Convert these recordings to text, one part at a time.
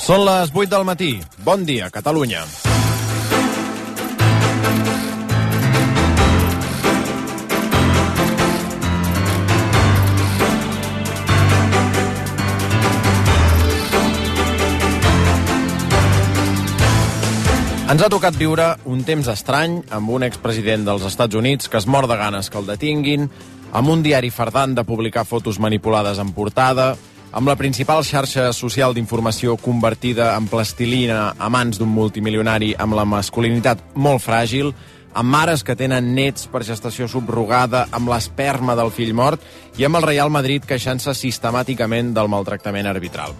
Són les 8 del matí. Bon dia, Catalunya. Ens ha tocat viure un temps estrany amb un expresident dels Estats Units que es mor de ganes que el detinguin, amb un diari fardant de publicar fotos manipulades en portada, amb la principal xarxa social d'informació convertida en plastilina a mans d'un multimilionari amb la masculinitat molt fràgil, amb mares que tenen nets per gestació subrogada, amb l'esperma del fill mort i amb el Real Madrid queixant-se sistemàticament del maltractament arbitral.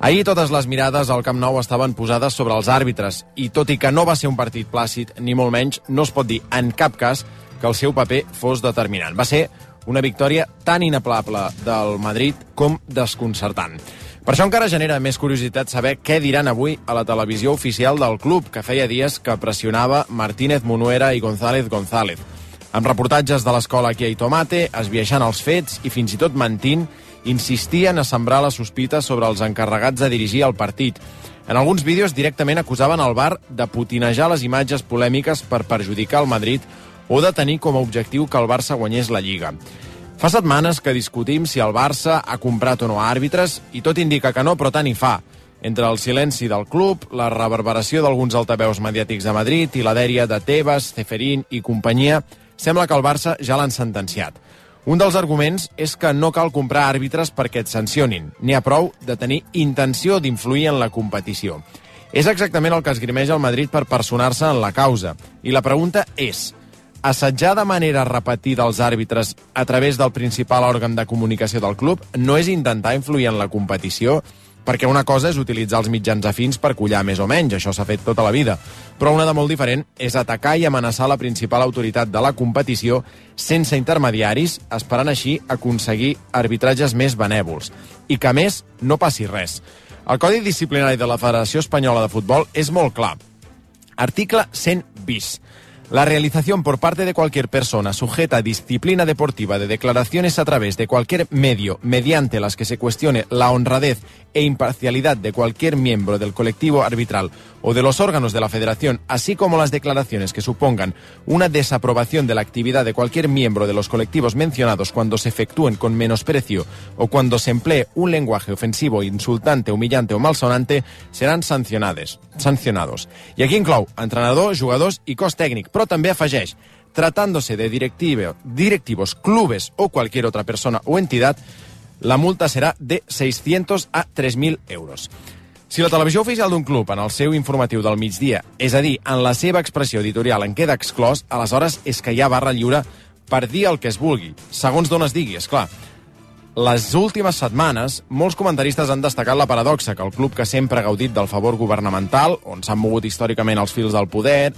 Ahir totes les mirades al Camp Nou estaven posades sobre els àrbitres i tot i que no va ser un partit plàcid, ni molt menys, no es pot dir en cap cas que el seu paper fos determinant. Va ser una victòria tan inaplable del Madrid com desconcertant. Per això encara genera més curiositat saber què diran avui a la televisió oficial del club, que feia dies que pressionava Martínez Munuera i González González. Amb reportatges de l'escola Aquí hay tomate, esbiaixant els fets i fins i tot mentint, insistien a sembrar la sospita sobre els encarregats de dirigir el partit. En alguns vídeos directament acusaven el VAR de putinejar les imatges polèmiques per perjudicar el Madrid o de tenir com a objectiu que el Barça guanyés la Lliga. Fa setmanes que discutim si el Barça ha comprat o no àrbitres i tot indica que no, però tant hi fa. Entre el silenci del club, la reverberació d'alguns altaveus mediàtics de Madrid i la dèria de Tebas, Ceferín i companyia, sembla que el Barça ja l'han sentenciat. Un dels arguments és que no cal comprar àrbitres perquè et sancionin. N'hi ha prou de tenir intenció d'influir en la competició. És exactament el que esgrimeix el Madrid per personar-se en la causa. I la pregunta és: assetjar de manera repetida els àrbitres a través del principal òrgan de comunicació del club no és intentar influir en la competició? Perquè una cosa és utilitzar els mitjans afins per collar més o menys, això s'ha fet tota la vida. Però una de molt diferent és atacar i amenaçar la principal autoritat de la competició sense intermediaris, esperant així aconseguir arbitratges més benèvols. I que, a més, no passi res. El Codi Disciplinari de la Federació Espanyola de Futbol és molt clar. Article 100 bis. La realización por parte de cualquier persona sujeta a disciplina deportiva de declaraciones a través de cualquier medio mediante las que se cuestione la honradez e imparcialidad de cualquier miembro del colectivo arbitral o de los órganos de la federación, así como las declaraciones que supongan una desaprobación de la actividad de cualquier miembro de los colectivos mencionados cuando se efectúen con menosprecio o cuando se emplee un lenguaje ofensivo, insultante, humillante o malsonante, serán sancionados. I aquí inclou entrenador, jugadors i cos tècnic, però també afegeix: tratándose de directivos, clubes o cualquier otra persona o entidad, la multa serà de 600 a 3.000 euros. Si la televisió oficial d'un club en el seu informatiu del migdia, és a dir, en la seva expressió editorial en queda exclòs, aleshores és que hi ha barra lliure per dir el que es vulgui, segons d'on es digui, esclar. Les últimes setmanes, molts comentaristes han destacat la paradoxa que el club que sempre ha gaudit del favor governamental, on s'han mogut històricament els fils del poder,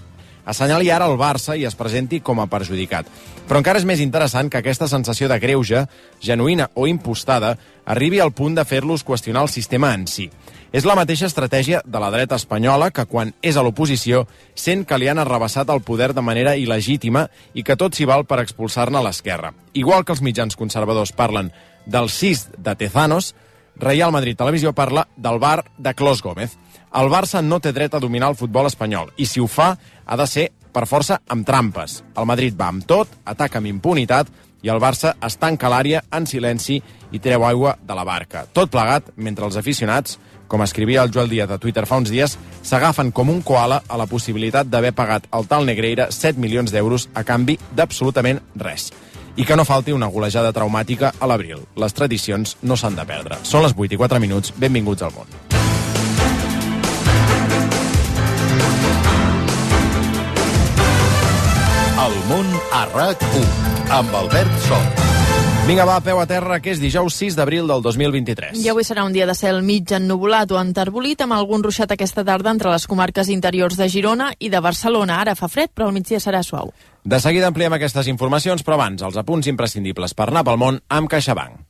assenyali ara el Barça i es presenti com a perjudicat. Però encara és més interessant que aquesta sensació de greuge, genuïna o impostada, arribi al punt de fer-los qüestionar el sistema en si. És la mateixa estratègia de la dreta espanyola que, quan és a l'oposició, sent que li han arrabassat el poder de manera il·legítima i que tot s'hi val per expulsar-ne a l'esquerra. Igual que els mitjans conservadors parlen del cis de Tezanos, Real Madrid Televisió parla del bar de Clos Gómez. El Barça no té dret a dominar el futbol espanyol i, si ho fa, ha de ser per força amb trampes. El Madrid va amb tot, ataca amb impunitat i el Barça es tanca a l'àrea en silenci i treu aigua de la barca. Tot plegat mentre els aficionats, com escrivia el Joel Díaz a Twitter fa uns dies, s'agafen com un koala a la possibilitat d'haver pagat al tal Negreira 7 milions d'euros a canvi d'absolutament res. I que no falti una golejada traumàtica a l'abril. Les tradicions no s'han de perdre. Són les 8 i 4 minuts. Benvinguts al món. El món a RAC1 amb Albert Sol. Vinga, va, peu a terra, que és dijous 6 d'abril del 2023. I avui serà un dia de cel mig ennuvolat o enterbolit, amb algun ruixat aquesta tarda entre les comarques interiors de Girona i de Barcelona. Ara fa fred, però al migdia serà suau. De seguida ampliem aquestes informacions, però abans, els apunts imprescindibles per anar pel món amb CaixaBank.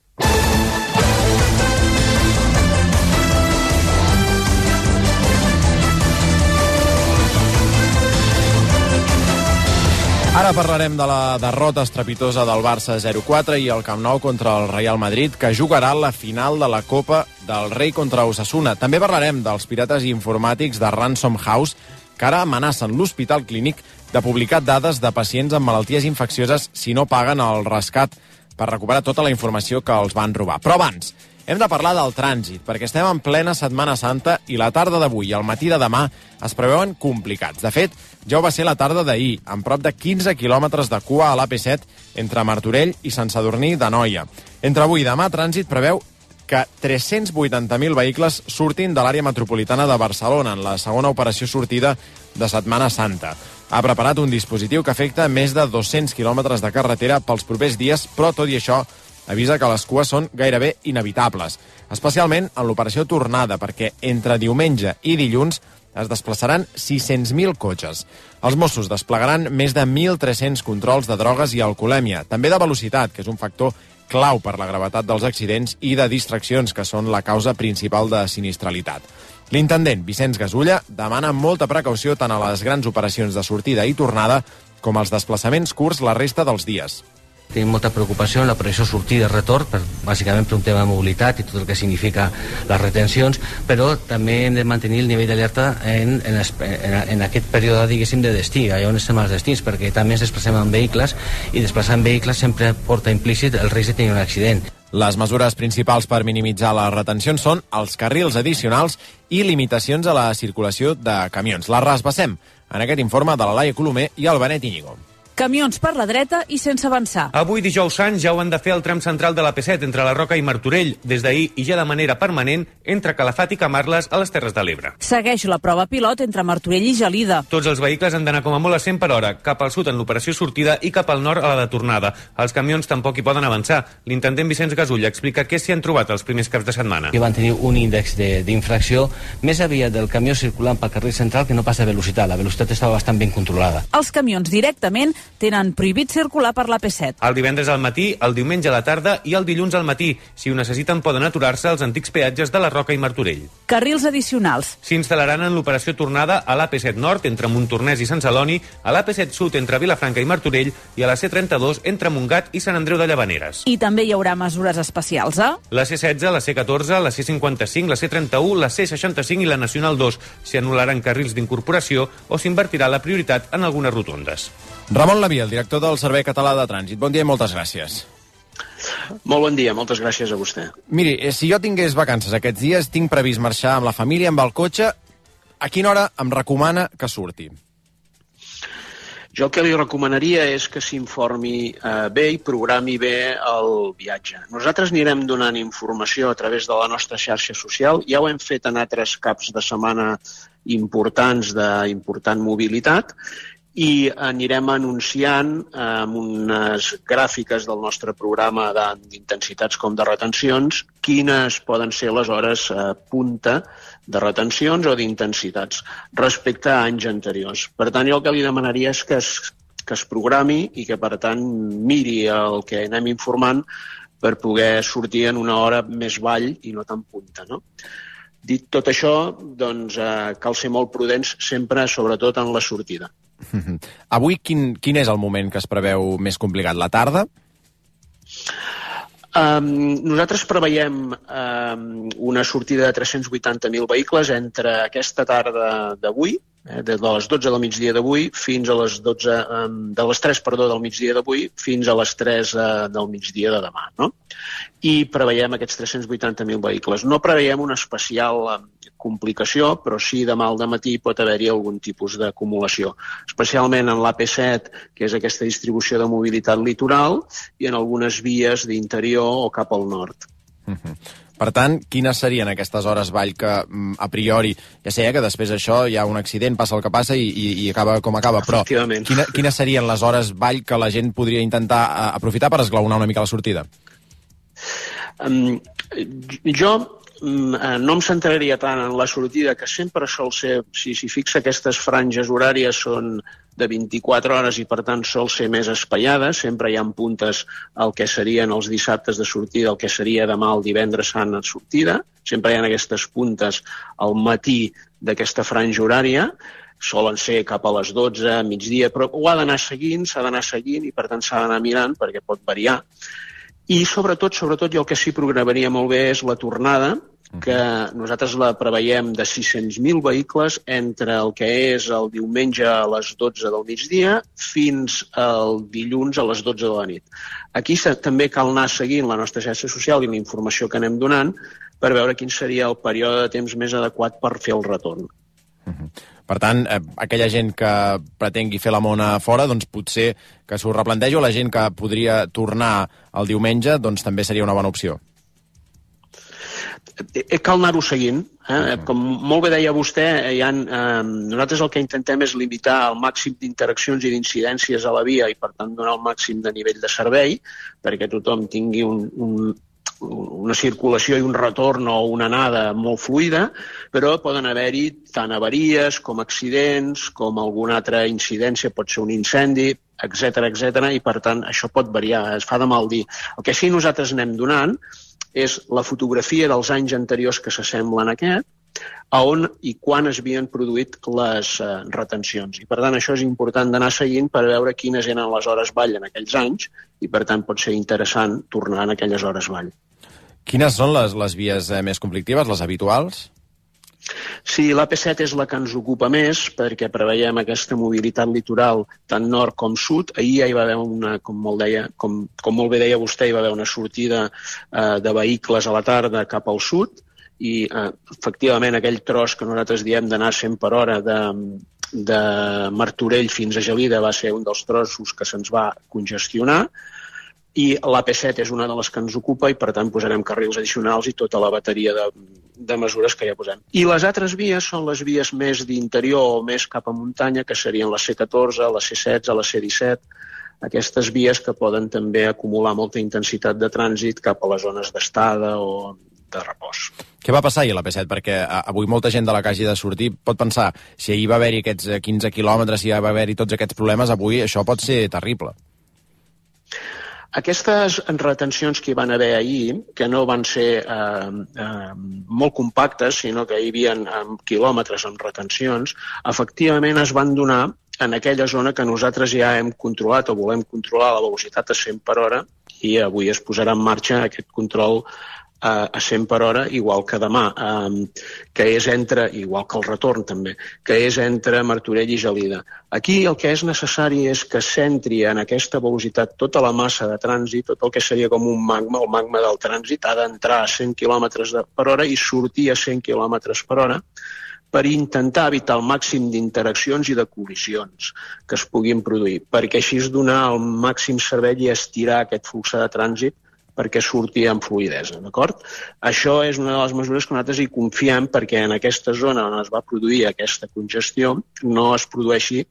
Ara parlarem de la derrota estrepitosa del Barça 0-4 i el Camp Nou contra el Real Madrid, que jugarà la final de la Copa del Rei contra Osasuna. També parlarem dels pirates informàtics de Ransom House, que ara amenacen l'Hospital Clínic de publicar dades de pacients amb malalties infeccioses si no paguen el rescat per recuperar tota la informació que els van robar. Però abans, hem de parlar del trànsit, perquè estem en plena Setmana Santa i la tarda d'avui i el matí de demà es preveuen complicats. De fet, ja ho va ser la tarda d'ahir, amb prop de 15 quilòmetres de cua a l'AP7 entre Martorell i Sant Sadurní d'Anoia. Entre avui i demà, Trànsit preveu que 380.000 vehicles surtin de l'àrea metropolitana de Barcelona en la segona operació sortida de Setmana Santa. Ha preparat un dispositiu que afecta més de 200 quilòmetres de carretera pels propers dies, però tot i això avisa que les cues són gairebé inevitables, especialment en l'operació tornada, perquè entre diumenge i dilluns es desplaçaran 600.000 cotxes. Els Mossos desplegaran més de 1.300 controls de drogues i alcoholèmia, també de velocitat, que és un factor clau per la gravetat dels accidents, i de distraccions, que són la causa principal de sinistralitat. L'intendent Vicenç Gasulla demana molta precaució tant a les grans operacions de sortida i tornada com als desplaçaments curts la resta dels dies. Tenim molta preocupació en l'operació sortida i retorn, bàsicament per un tema de mobilitat i tot el que significa les retencions, però també hem de mantenir el nivell d'alerta en aquest període, diguéssim, de destí, allà on estem als destins, perquè també ens desplacem en vehicles, i desplaçar en vehicles sempre porta implícit el risc de tenir un accident. Les mesures principals per minimitzar les retencions són els carrils addicionals i limitacions a la circulació de camions. Les rasbassem en aquest informe de la Laia Colomer i el Benet Íñigo. Camions per la dreta i sense avançar. Avui, dijous sant, ja ho han de fer al tram central de l'AP7 entre la Roca i Martorell, des d'ahir i ja de manera permanent entre Calafat i Camarles a les Terres de l'Ebre. Segueix la prova pilot entre Martorell i Gelida. Tots els vehicles han d'anar com a molt a 100 per hora, cap al sud en l'operació sortida i cap al nord a la de tornada. Els camions tampoc hi poden avançar. L'intendent Vicenç Gasulla explica què s'hi han trobat els primers caps de setmana. I van tenir un índex d'infracció més aviat del camió circulant pel carril central que no pas de velocitat. La velocitat estava bastant ben controlada. Els camions directament tenen prohibit circular per l'AP7. El divendres al matí, el diumenge a la tarda i el dilluns al matí. Si ho necessiten, poden aturar-se als antics peatges de la Roca i Martorell. Carrils addicionals. S'instal·laran en l'operació tornada a l'AP7 Nord, entre Montornès i Sant Celoni, a l'AP7 Sud, entre Vilafranca i Martorell, i a la C32, entre Montgat i Sant Andreu de Llavaneres. I també hi haurà mesures especials, La C16, la C14, la C55, la C31, la C65 i la Nacional 2. S'hi anul·laran carrils d'incorporació o s'invertirà la prioritat en algunes rotondes. Ramon Laví, el director del Servei Català de Trànsit. Bon dia i moltes gràcies. Molt bon dia, moltes gràcies a vostè. Miri, si jo tingués vacances aquests dies, tinc previst marxar amb la família, amb el cotxe, a quina hora em recomana que surti? Jo el que li recomanaria és que s'informi bé i programi bé el viatge. Nosaltres anirem donant informació a través de la nostra xarxa social. Ja ho hem fet en altres caps de setmana importants d'important mobilitat, i anirem anunciant amb unes gràfiques del nostre programa d'intensitats com de retencions quines poden ser les hores punta de retencions o d'intensitats respecte a anys anteriors. Per tant, jo el que li demanaria és que es programi i que, per tant, miri el que anem informant per poder sortir en una hora més vall i no tan punta, no? Dit tot això, doncs cal ser molt prudents sempre, sobretot en la sortida. Avui quin és el moment que es preveu més complicat? La tarda? Nosaltres preveiem una sortida de 380.000 vehicles entre aquesta tarda d'avui, de les 12 del migdia d'avui fins a les 12, de les 3 del migdia d'avui fins a les 3 del migdia de demà, no? I preveiem aquests 380.000 vehicles. No preveiem una especial complicació, però sí demà al dematí pot haver-hi algun tipus d'acumulació, especialment en l'AP7, que és aquesta distribució de mobilitat litoral, i en algunes vies d'interior o cap al nord. Per tant, quines serien aquestes hores vall que, a priori, ja sé que després això hi ha un accident, passa el que passa i acaba com acaba, però quines serien les hores vall que la gent podria intentar aprofitar per esglaonar una mica la sortida? Jo no em centraria tant en la sortida, que sempre sol ser, si fixa aquestes franges horàries són de 24 hores i per tant sol ser més espaiada, sempre hi ha puntes al que serien els dissabtes de sortida, el que seria demà el divendres sant de sortida, sempre hi ha aquestes puntes al matí d'aquesta franja horària, solen ser cap a les 12, migdia, però ho ha d'anar seguint, s'ha d'anar seguint i per tant s'ha d'anar mirant perquè pot variar. I sobretot, jo el que sí programaria molt bé és la tornada, que nosaltres la preveiem de 600.000 vehicles entre el que és el diumenge a les 12 del migdia fins al dilluns a les 12 de la nit. Aquí també cal anar seguint la nostra xarxa social i la informació que anem donant per veure quin seria el període de temps més adequat per fer el retorn. Per tant, aquella gent que pretengui fer la mona fora, doncs potser que s'ho replantegi, o la gent que podria tornar el diumenge, doncs també seria una bona opció. Cal anar-ho seguint. Com molt bé deia vostè, nosaltres el que intentem és limitar el màxim d'interaccions i d'incidències a la via i per tant donar el màxim de nivell de servei perquè tothom tingui una circulació i un retorn o una anada molt fluida, però poden haver-hi tant avaries com accidents, com alguna altra incidència, pot ser un incendi, etc. I per tant això pot variar, es fa de mal dir. El que sí nosaltres anem donant és la fotografia dels anys anteriors que s'assemblen a aquest, a on i quan es havien produït les retencions. I per tant això és important d'anar seguint per veure quines eren les hores vall en aquells anys i per tant pot ser interessant tornar en aquelles hores vall. Quines són les vies més conflictives, les habituals? Sí, l'AP7 és la que ens ocupa més perquè preveiem aquesta mobilitat litoral tant nord com sud. Ahir ja hi va haver com molt bé deia vostè, hi va haver una sortida de vehicles a la tarda cap al sud i efectivament aquell tros que nosaltres diem d'anar 100 per hora de Martorell fins a Gelida va ser un dels trossos que se'ns va congestionar i l'AP7 és una de les que ens ocupa i per tant posarem carrils addicionals i tota la bateria de mesures que ja posem. I les altres vies són les vies més d'interior o més cap a muntanya, que serien la C14, la C16, la C17, aquestes vies que poden també acumular molta intensitat de trànsit cap a les zones d'estada o de repòs. Què va passar ahir a l'AP7? Perquè avui molta gent de la que hagi de sortir pot pensar, si ahir va haver-hi aquests 15 quilòmetres, si va haver-hi tots aquests problemes, avui això pot ser terrible. Aquestes retencions que hi van haver ahir, que no van ser molt compactes, sinó que hi havia quilòmetres amb retencions, efectivament es van donar en aquella zona que nosaltres ja hem controlat o volem controlar la velocitat a 100 per hora i avui es posarà en marxa aquest control a 100 per hora, igual que demà, que és igual que el retorn també, que és entre Martorell i Gelida. Aquí el que és necessari és que s'entri en aquesta velocitat tota la massa de trànsit, tot el que seria com un magma, el magma del trànsit ha d'entrar a 100 km per hora i sortir a 100 km per hora per intentar evitar el màxim d'interaccions i de col·lisions que es puguin produir, perquè així es donar el màxim servei i estirar aquest flux de trànsit perquè surti amb fluïdesa, d'acord? Això és una de les mesures que nosaltres hi confiem perquè en aquesta zona on es va produir aquesta congestió no es produeixi,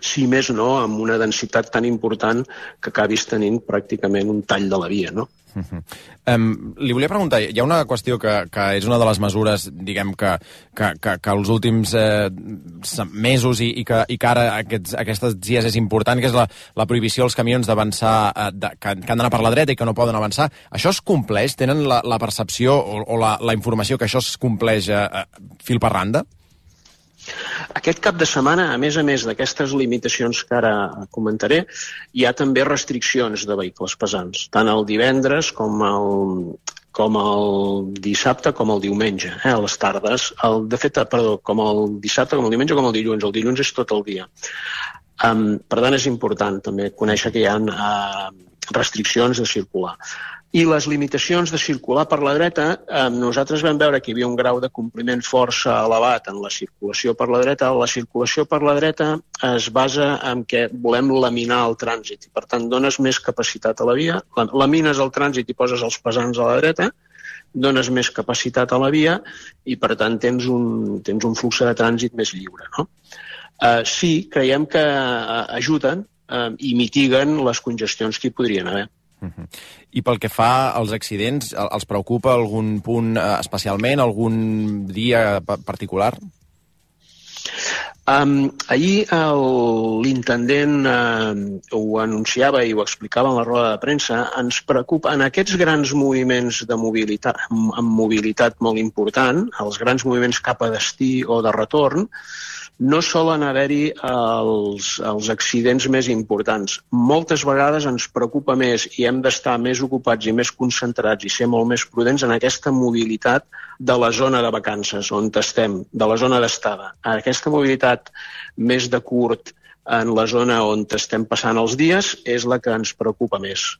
si més no, amb una densitat tan important que acabis tenint pràcticament un tall de la via, no? Li volia preguntar, hi ha una qüestió que és una de les mesures, diguem, que els últims mesos i que ara aquests dies és important, que és la prohibició als camions d'avançar, que han d'anar per la dreta i que no poden avançar. Això es compleix? Tenen la percepció o la informació que això es compleix fil per randa? Aquest cap de setmana, a més d'aquestes limitacions que ara comentaré, hi ha també restriccions de vehicles pesants, tant el divendres com el dissabte com el diumenge, a les tardes. Com el dissabte, com el diumenge, com el dilluns. El dilluns és tot el dia. Per tant, és important també conèixer que hi ha restriccions de circular. I les limitacions de circular per la dreta, nosaltres vam veure que hi havia un grau de compliment força elevat en la circulació per la dreta. La circulació per la dreta es basa en que volem laminar el trànsit i, per tant, dones més capacitat a la via, lamines el trànsit i poses els pesants a la dreta, dones més capacitat a la via i, per tant, tens un flux de trànsit més lliure, no? Sí, creiem que ajuden i mitiguen les congestions que hi podrien haver. I pel que fa als accidents, els preocupa algun punt especialment, algun dia particular? Ahir l'intendent ho anunciava i ho explicava en la roda de premsa. Ens preocupa en aquests grans moviments de mobilitat, amb mobilitat molt important, els grans moviments cap a destí o de retorn, no solen haver-hi els accidents més importants. Moltes vegades ens preocupa més i hem d'estar més ocupats i més concentrats i ser molt més prudents en aquesta mobilitat de la zona de vacances on estem, de la zona d'estada. Aquesta mobilitat més de curt en la zona on estem passant els dies és la que ens preocupa més.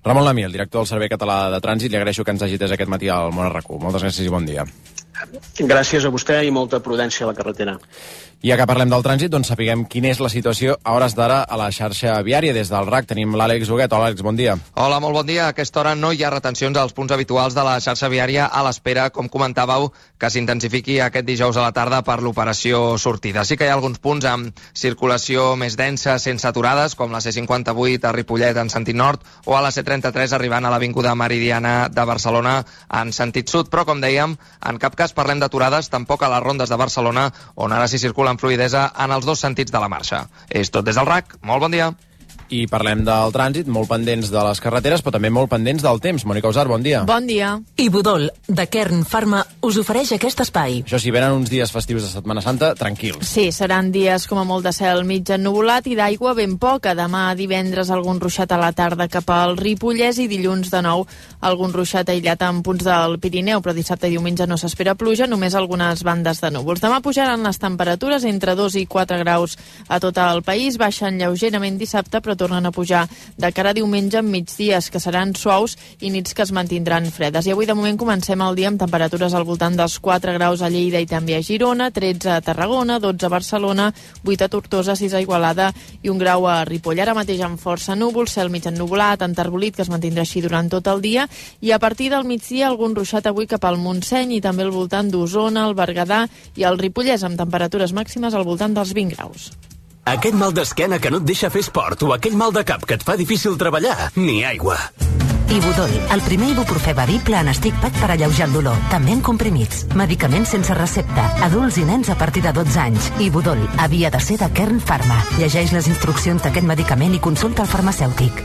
Ramon Lamí, el director del Servei Català de Trànsit, li agraeixo que ens hagi atès aquest matí al Món RAC1. Moltes gràcies i bon dia. Gràcies a vostè i molta prudència a la carretera. I ja que parlem del trànsit, doncs sapiguem quina és la situació a hores d'ara a la xarxa viària. Des del RAC tenim l'Àlex Huguet. Hola, Àlex, bon dia. Hola, molt bon dia. A aquesta hora no hi ha retencions als punts habituals de la xarxa viària a l'espera, com comentàveu, que s'intensifiqui aquest dijous a la tarda per l'operació sortida. Sí que hi ha alguns punts amb circulació més densa, sense aturades, com la C58 a Ripollet en sentit nord o a la C33 arribant a l'Avinguda Meridiana de Barcelona en sentit sud. Però, com dèiem, en cap cas parlem d'aturades, tampoc a les rondes de Barcelona, on ara s'hi circula amb fluïdesa en els dos sentits de la marxa. És tot des del RAC. Molt bon dia. I parlem del trànsit, molt pendents de les carreteres, però també molt pendents del temps. Mònica Usar, bon dia. Bon dia. I Budol, de Kern Pharma, us ofereix aquest espai. Això sí, venen uns dies festius de Setmana Santa tranquils. Sí, seran dies com a molt de cel mig ennuvolat i d'aigua ben poca. Demà divendres algun ruixat a la tarda cap al Ripollès i dilluns de nou algun ruixat aïllat en punts del Pirineu, però dissabte i diumenge no s'espera pluja, només algunes bandes de núvols. Demà pujaran les temperatures entre 2 i 4 graus a tot el país, baixen lleugerament dissabte, però tornen a pujar de cara a diumenge amb migdies que seran suaus i nits que es mantindran fredes. I avui de moment comencem el dia amb temperatures al voltant dels 4 graus a Lleida i també a Girona, 13 a Tarragona, 12 a Barcelona, 8 a Tortosa, 6 a Igualada i 1 grau a Ripoll. Ara mateix amb força núvols, cel mig ennuvolat, enterbolit, que es mantindrà així durant tot el dia, i a partir del migdia algun ruixat avui cap al Montseny i també al voltant d'Osona, el Berguedà i el Ripollès, amb temperatures màximes al voltant dels 20 graus. Aquest mal d'esquena que no et deixa fer esport o aquell mal de cap que et fa difícil treballar, ni aigua. Ibudol, el primer ibuprofè bevible en stick pack per alleujar el dolor, també en comprimits. Medicaments sense recepta, adults i nens a partir de 12 anys. Ibudol havia de ser de Kern Pharma. Llegeix les instruccions d'aquest medicament i consulta el farmacèutic.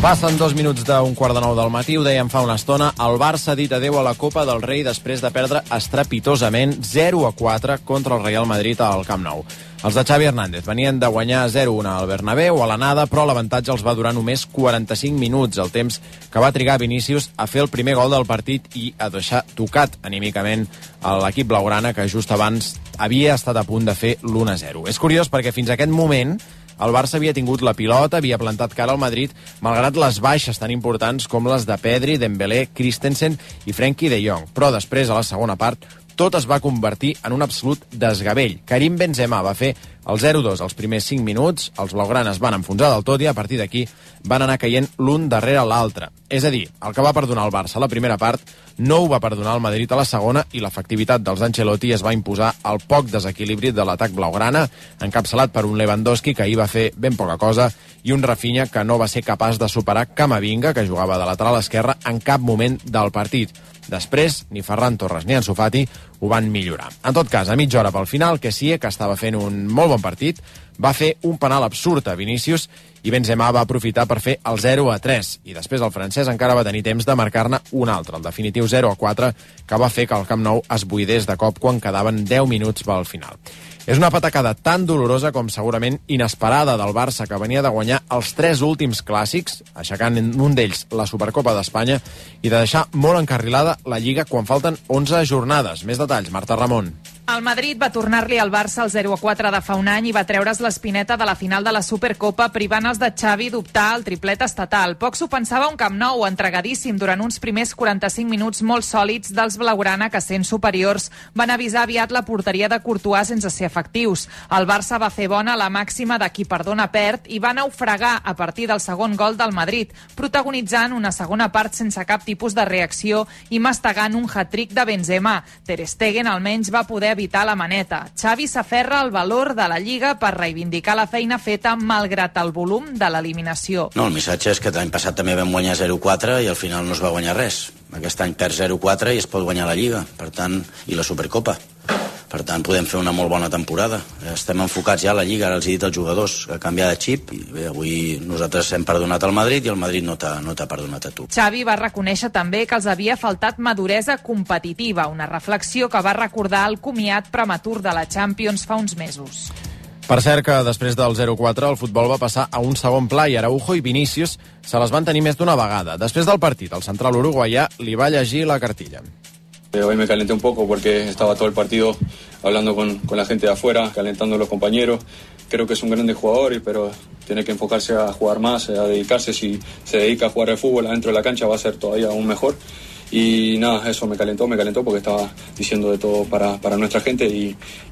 Passen 2 minuts d'un 8:45 del matí, ho dèiem fa una estona, el Barça ha dit adeu a la Copa del Rei després de perdre estrepitosament 0-4 contra el Real Madrid al Camp Nou. Els de Xavi Hernández venien de guanyar 0-1 al Bernabéu a l'anada, però l'avantatge els va durar només 45 minuts, el temps que va trigar Vinícius a fer el primer gol del partit i a deixar tocat anímicament a l'equip blaugrana, que just abans havia estat a punt de fer l'1-0. És curiós perquè fins a aquest moment el Barça havia tingut la pilota, havia plantat cara al Madrid, malgrat les baixes tan importants com les de Pedri, Dembélé, Christensen i Frenkie de Jong. Però després, a la segona part, tot es va convertir en un absolut desgavell. Karim Benzema va fer el 0-2 als primers 5 minuts, els blaugranes van enfonsar del tot i a partir d'aquí van anar caient l'un darrere l'altre. És a dir, el que va perdonar el Barça a la primera part no ho va perdonar el Madrid a la segona i l'efectivitat dels Ancelotti es va imposar al poc desequilibri de l'atac blaugrana, encapçalat per un Lewandowski que ahir va fer ben poca cosa i un Rafinha que no va ser capaç de superar Camavinga, que jugava de lateral esquerre, en cap moment del partit. Després, ni Ferran Torres ni Ansu Fati ho van millorar. En tot cas, a mitja hora pel final, Kessie, que estava fent un molt bon partit, va fer un penal absurd a Vinícius i Benzema va aprofitar per fer el 0-3 i després el francès encara va tenir temps de marcar-ne un altre, el definitiu 0-4, que va fer que el Camp Nou es buidés de cop quan quedaven 10 minuts pel final. És una patacada tan dolorosa com segurament inesperada del Barça, que venia de guanyar els 3 últims clàssics, aixecant en un d'ells la Supercopa d'Espanya, i de deixar molt encarrilada la Lliga quan falten 11 jornades. Més detalls, Marta Ramon. El Madrid va tornar-li al Barça el 0-4 de fa un any i va treure's l'espineta de la final de la Supercopa, privant els de Xavi d'optar al triplet estatal. Poc s'ho pensava un Camp Nou entregadíssim durant uns primers 45 minuts molt sòlids dels blaugrana, que sent superiors van avisar aviat la porteria de Courtois sense ser efectius. El Barça va fer bona la màxima de qui perdona perd i va naufragar a partir del segon gol del Madrid, protagonitzant una segona part sense cap tipus de reacció i mastegant un hat-trick de Benzema. Ter Stegen almenys va poder evitar la maneta. Xavi s'aferra al valor de la Lliga per reivindicar la feina feta malgrat el volum de l'eliminació. No, el missatge és que l'any passat també vam guanyar 0-4 i al final no es va guanyar res. Aquest any perd 0-4 i es pot guanyar la Lliga, per tant, i la Supercopa. Per tant, podem fer una molt bona temporada. Estem enfocats ja a la Lliga, ara els he dit als jugadors, a canviar de xip. I bé, avui nosaltres hem perdonat al Madrid i el Madrid no t'ha perdonat a tu. Xavi va reconèixer també que els havia faltat maduresa competitiva, una reflexió que va recordar el comiat prematur de la Champions fa uns mesos. Per cert que després del 0-4 el futbol va passar a un segon pla i Araujo i Vinícius se les van tenir més d'una vegada. Després del partit, el central uruguaià li va llegir la cartilla. Hoy me calenté un poco porque estaba todo el partido hablando con la gente de afuera, calentando a los compañeros. Creo que es un grande jugador, pero tiene que enfocarse a jugar más, a dedicarse. Si se dedica a jugar al fútbol adentro de la cancha va a ser todavía aún mejor. Y nada, eso me calentó porque estaba diciendo de todo para nuestra gente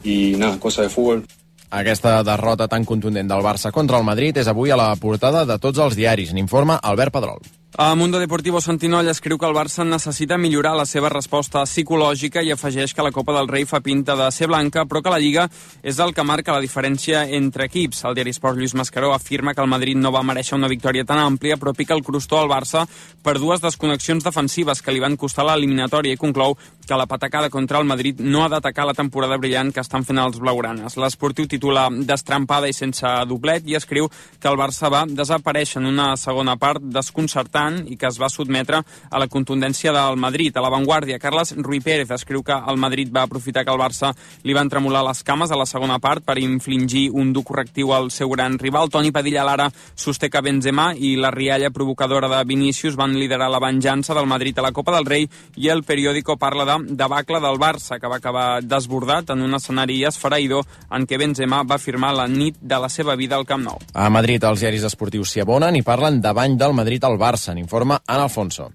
y nada, cosa de fútbol. Aquesta derrota tan contundent del Barça contra el Madrid és avui a la portada de tots els diaris. N'informa Albert Pedrol. A Mundo Deportivo Santinoll escriu que el Barça necessita millorar la seva resposta psicològica i afegeix que la Copa del Rei fa pinta de ser blanca, però que la Lliga és el que marca la diferència entre equips. El diari Esport Lluís Mascaró afirma que el Madrid no va mereixer una victòria tan àmplia, però pica el crostó al Barça per dues desconnexions defensives que li van costar l'eliminatòria i conclou que la patacada contra el Madrid no ha d'atacar la temporada brillant que estan fent els blaugranes. L'Esportiu titula destrampada i sense doblet i escriu que el Barça va desaparèixer en una segona part desconcertant i que es va sotmetre a la contundència del Madrid. A l'avantguàrdia, Carles Ruy Pérez escriu que el Madrid va aprofitar que el Barça li van tremolar les cames a la segona part per infligir un dur correctiu al seu gran rival. Toni Padilla Lara sosté que Benzema i la rialla provocadora de Vinícius van liderar la venjança del Madrid a la Copa del Rei i el periòdico parla de debacle del Barça, que va acabar desbordat en un escenari esfereïdor en què Benzema va firmar la nit de la seva vida al Camp Nou. A Madrid, els diaris esportius s'hi abonen i parlen de bany del Madrid al Barça. N'informa Ana Alfonso.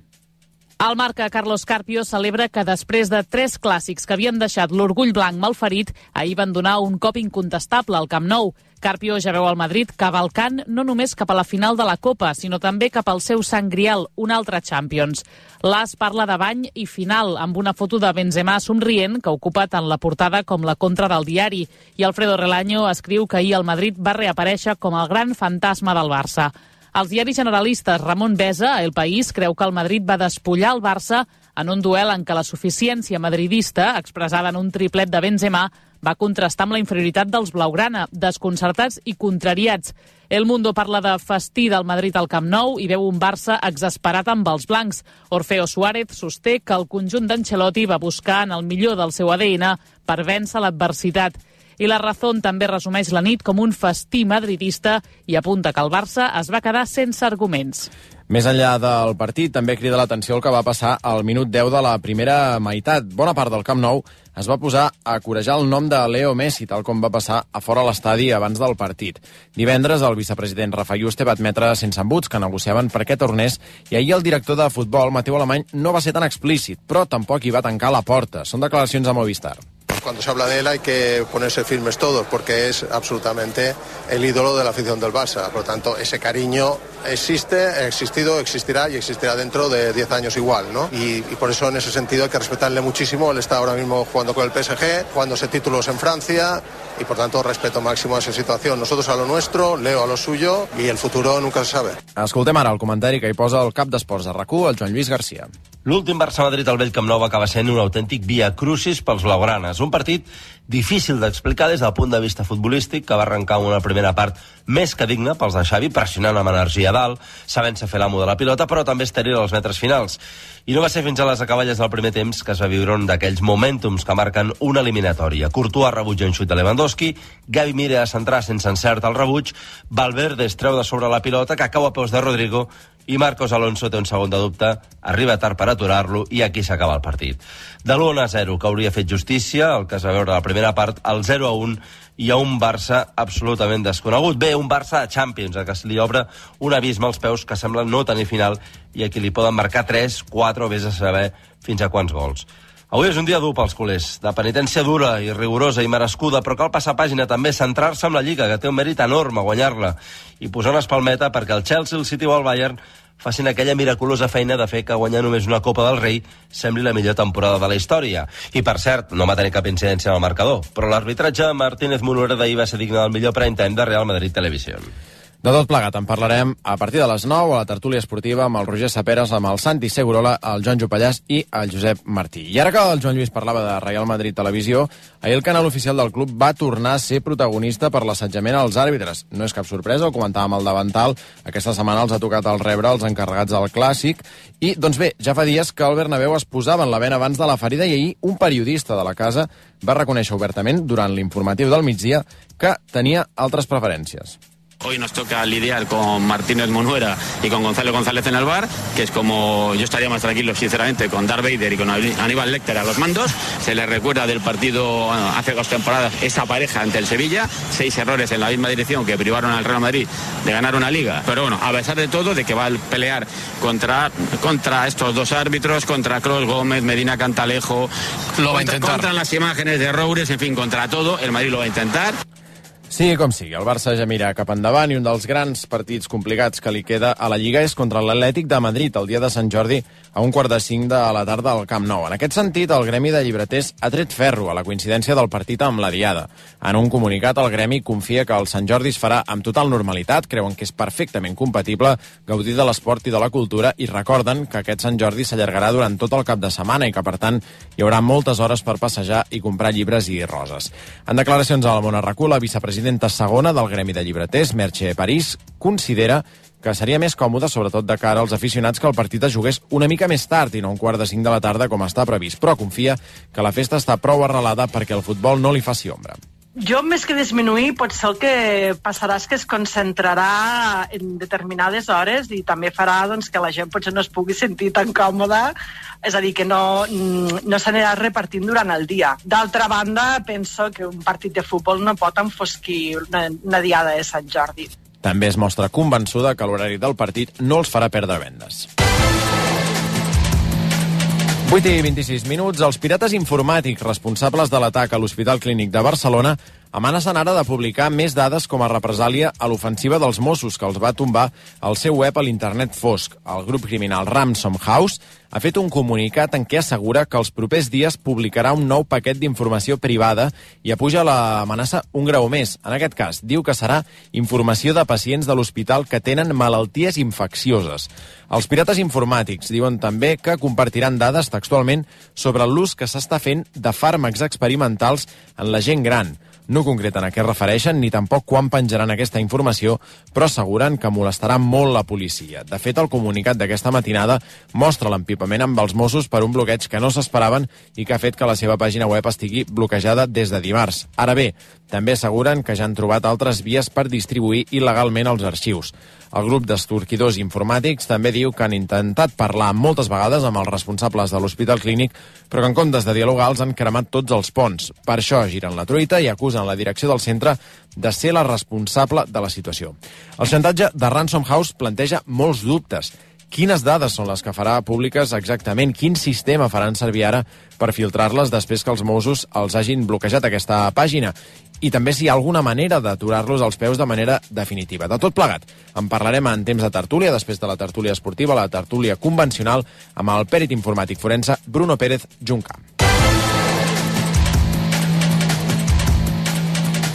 El marca Carlos Carpio celebra que després de 3 clàssics que havien deixat l'orgull blanc malferit, ahir van donar un cop incontestable al Camp Nou. Carpio ja veu el Madrid cavalcant no només cap a la final de la Copa, sinó també cap al seu Sant Grial, un altre Champions. L'As parla de bany i final, amb una foto de Benzema somrient que ocupa tant la portada com la contra del diari. I Alfredo Relaño escriu que ahir el Madrid va reaparèixer com el gran fantasma del Barça. Els diaris generalistes, Ramon Besa, a El País, creu que el Madrid va despullar el Barça en un duel en què la suficiència madridista, expressada en un triplet de Benzema, va contrastar amb la inferioritat dels blaugrana, desconcertats i contrariats. El Mundo parla de festí del Madrid al Camp Nou i veu un Barça exasperat amb els blancs. Orfeo Suárez sosté que el conjunt d'Ancelotti va buscar en el millor del seu ADN per vèncer l'adversitat. I la Razón també resumeix la nit com un festí madridista i apunta que el Barça es va quedar sense arguments. Més enllà del partit, també crida l'atenció el que va passar al minut 10 de la primera meitat. Bona part del Camp Nou es va posar a corejar el nom de Leo Messi, tal com va passar a fora l'estadi abans del partit. Divendres, el vicepresident Rafa Yuste va admetre sense embuts que negociaven perquè tornés i ahir el director de futbol, Mateu Alemany, no va ser tan explícit, però tampoc hi va tancar la porta. Són declaracions a Movistar. Cuando se habla de él hay que ponerse firmes todos porque es absolutamente el ídolo de la afición del Barça. Por lo tanto, ese cariño existe, ha existido, existirá y existirá dentro de 10 años igual, ¿no? Y por eso en ese sentido hay que respetarle muchísimo. Él está ahora mismo jugando con el PSG, jugándose títulos en Francia y por tanto respeto máximo a esa situación. Nosotros a lo nuestro, Leo a lo suyo y el futuro nunca se sabe. Escoltem ara el comentari que hi posa el cap d'esports de RAC1, el Joan Lluís Garcia. L'últim Barça-Madrid al vell Camp Nou va acabar sent un autèntic via crucis pels blaugranes. Un partit difícil d'explicar des del punt de vista futbolístic, que va arrencar una primera part més que digna pels de Xavi, pressionant amb energia a dalt, sabent-se fer l'amo de la pilota, però també estèril als metres finals. I no va ser fins a les acaballes del primer temps que es va viure un d'aquells momentums que marquen una eliminatòria. Courtois rebutja un xut de Lewandowski, Gavi mira a centrar sense encert el rebuig, Valverde es treu de sobre la pilota, que cau a peus de Rodrigo, i Marcos Alonso té un segon de dubte, arriba tard per aturar-lo i aquí s'acaba el partit. De l'1-0, que hauria fet justícia, el que es va veure a la primera part, al 0-1 i a un Barça absolutament desconegut. Bé, un Barça de Champions, que se li obre un abisme als peus que sembla no tenir final i aquí li poden marcar 3, 4 o vés a saber fins a quants gols. Avui és un dia dur pels culers, de penitència dura i rigorosa i merescuda, però cal passar pàgina també, centrar-se en la Lliga, que té un mèrit enorme guanyar-la, i posar una espalmeta perquè el Chelsea, el City o el Bayern facin aquella miraculosa feina de fer que guanyar només una Copa del Rei sembli la millor temporada de la història. I, per cert, no va tenir cap incidència en el marcador, però l'arbitratge Martínez Munuera d'ahir va ser digne del millor prime time de Real Madrid Televisió. De tot plegat en parlarem a partir de les 9 a la tertúlia esportiva amb el Roger Saperes, amb el Santi Segurola, el Joan Jopallàs i el Josep Martí. I ara que el Joan Lluís parlava de Real Madrid Televisió, ahir el canal oficial del club va tornar a ser protagonista per l'assetjament als àrbitres. No és cap sorpresa, ho comentàvem al davantal, aquesta setmana els ha tocat el rebre els encarregats del Clàssic, i, doncs bé, ja fa dies que el Bernabéu es posava en la vena abans de la ferida i ahir un periodista de la casa va reconèixer obertament durant l'informatiu del migdia que tenia altres preferències. Hoy nos toca lidiar con Martínez Munuera y con Gonzalo González en el bar, que es como yo estaría más tranquilo, sinceramente, con Darth Vader y con Aníbal Lecter a los mandos. Se les recuerda del partido hace 2 temporadas, esa pareja ante el Sevilla, 6 errores en la misma dirección que privaron al Real Madrid de ganar una liga. Pero bueno, a pesar de todo, de que va a pelear contra estos 2 árbitros, contra Kroos, Gómez, Medina, Cantalejo, lo va a intentar. Contra las imágenes de Roures, en fin, contra todo, el Madrid lo va a intentar. Sigui com sigui, el Barça ja mira cap endavant i un dels grans partits complicats que li queda a la Lliga és contra l'Atlètic de Madrid el dia de Sant Jordi a 1:45 de la tarda al Camp Nou. En aquest sentit, el Gremi de Llibreters ha tret ferro a la coincidència del partit amb la Diada. En un comunicat, el Gremi confia que el Sant Jordi es farà amb total normalitat, creuen que és perfectament compatible gaudir de l'esport i de la cultura i recorden que aquest Sant Jordi s'allargarà durant tot el cap de setmana i que, per tant, hi haurà moltes hores per passejar i comprar llibres i roses. En declaracions a la Mona Racú, la vicepresidenta segona del Gremi de Llibreters, Merche París, considera que seria més còmode, sobretot de cara als aficionats, que el partit es jugués una mica més tard i no 4:45 de la tarda com està previst, però confia que la festa està prou arrelada perquè el futbol no li faci ombra. Jo, més que disminuir, potser el que passarà és que es concentrarà en determinades hores i també farà doncs, que la gent potser no es pugui sentir tan còmoda, és a dir, que no s'anirà repartint durant el dia. D'altra banda, penso que un partit de futbol no pot enfosquir una diada de Sant Jordi. També es mostra convençuda que l'horari del partit no els farà perdre vendes. 8:26. Els pirates informàtics responsables de l'atac a l'Hospital Clínic de Barcelona amenacen ara de publicar més dades com a represàlia a l'ofensiva dels Mossos, que els va tombar el seu web a l'internet fosc. El grup criminal Ransom House ha fet un comunicat en què assegura que els propers dies publicarà un nou paquet d'informació privada i apuja l'amenaça un grau més. En aquest cas, diu que serà informació de pacients de l'hospital que tenen malalties infeccioses. Els pirates informàtics diuen també que compartiran dades textualment sobre l'ús que s'està fent de fàrmacs experimentals en la gent gran. No concreten a què es refereixen ni tampoc quan penjaran aquesta informació, però asseguren que molestarà molt la policia. De fet, el comunicat d'aquesta matinada mostra l'empipament amb els Mossos per un bloqueig que no s'esperaven i que ha fet que la seva pàgina web estigui bloquejada des de dimarts. Ara bé, també asseguren que ja han trobat altres vies per distribuir il·legalment els arxius. El grup d'estorquidors informàtics també diu que han intentat parlar moltes vegades amb els responsables de l'Hospital Clínic, però que en comptes de dialogar els han cremat tots els ponts. Per això giren la truita i acusen la direcció del centre de ser la responsable de la situació. El xantatge de Ransom House planteja molts dubtes. Quines dades són les que farà públiques exactament? Quin sistema faran servir ara per filtrar-les després que els Mossos els hagin bloquejat aquesta pàgina? I també si hi ha alguna manera d'aturar-los als peus de manera definitiva. De tot plegat, en parlarem en temps de tertúlia, després de la tertúlia esportiva, la tertúlia convencional, amb el pèrit informàtic forense Bruno Pérez Junca.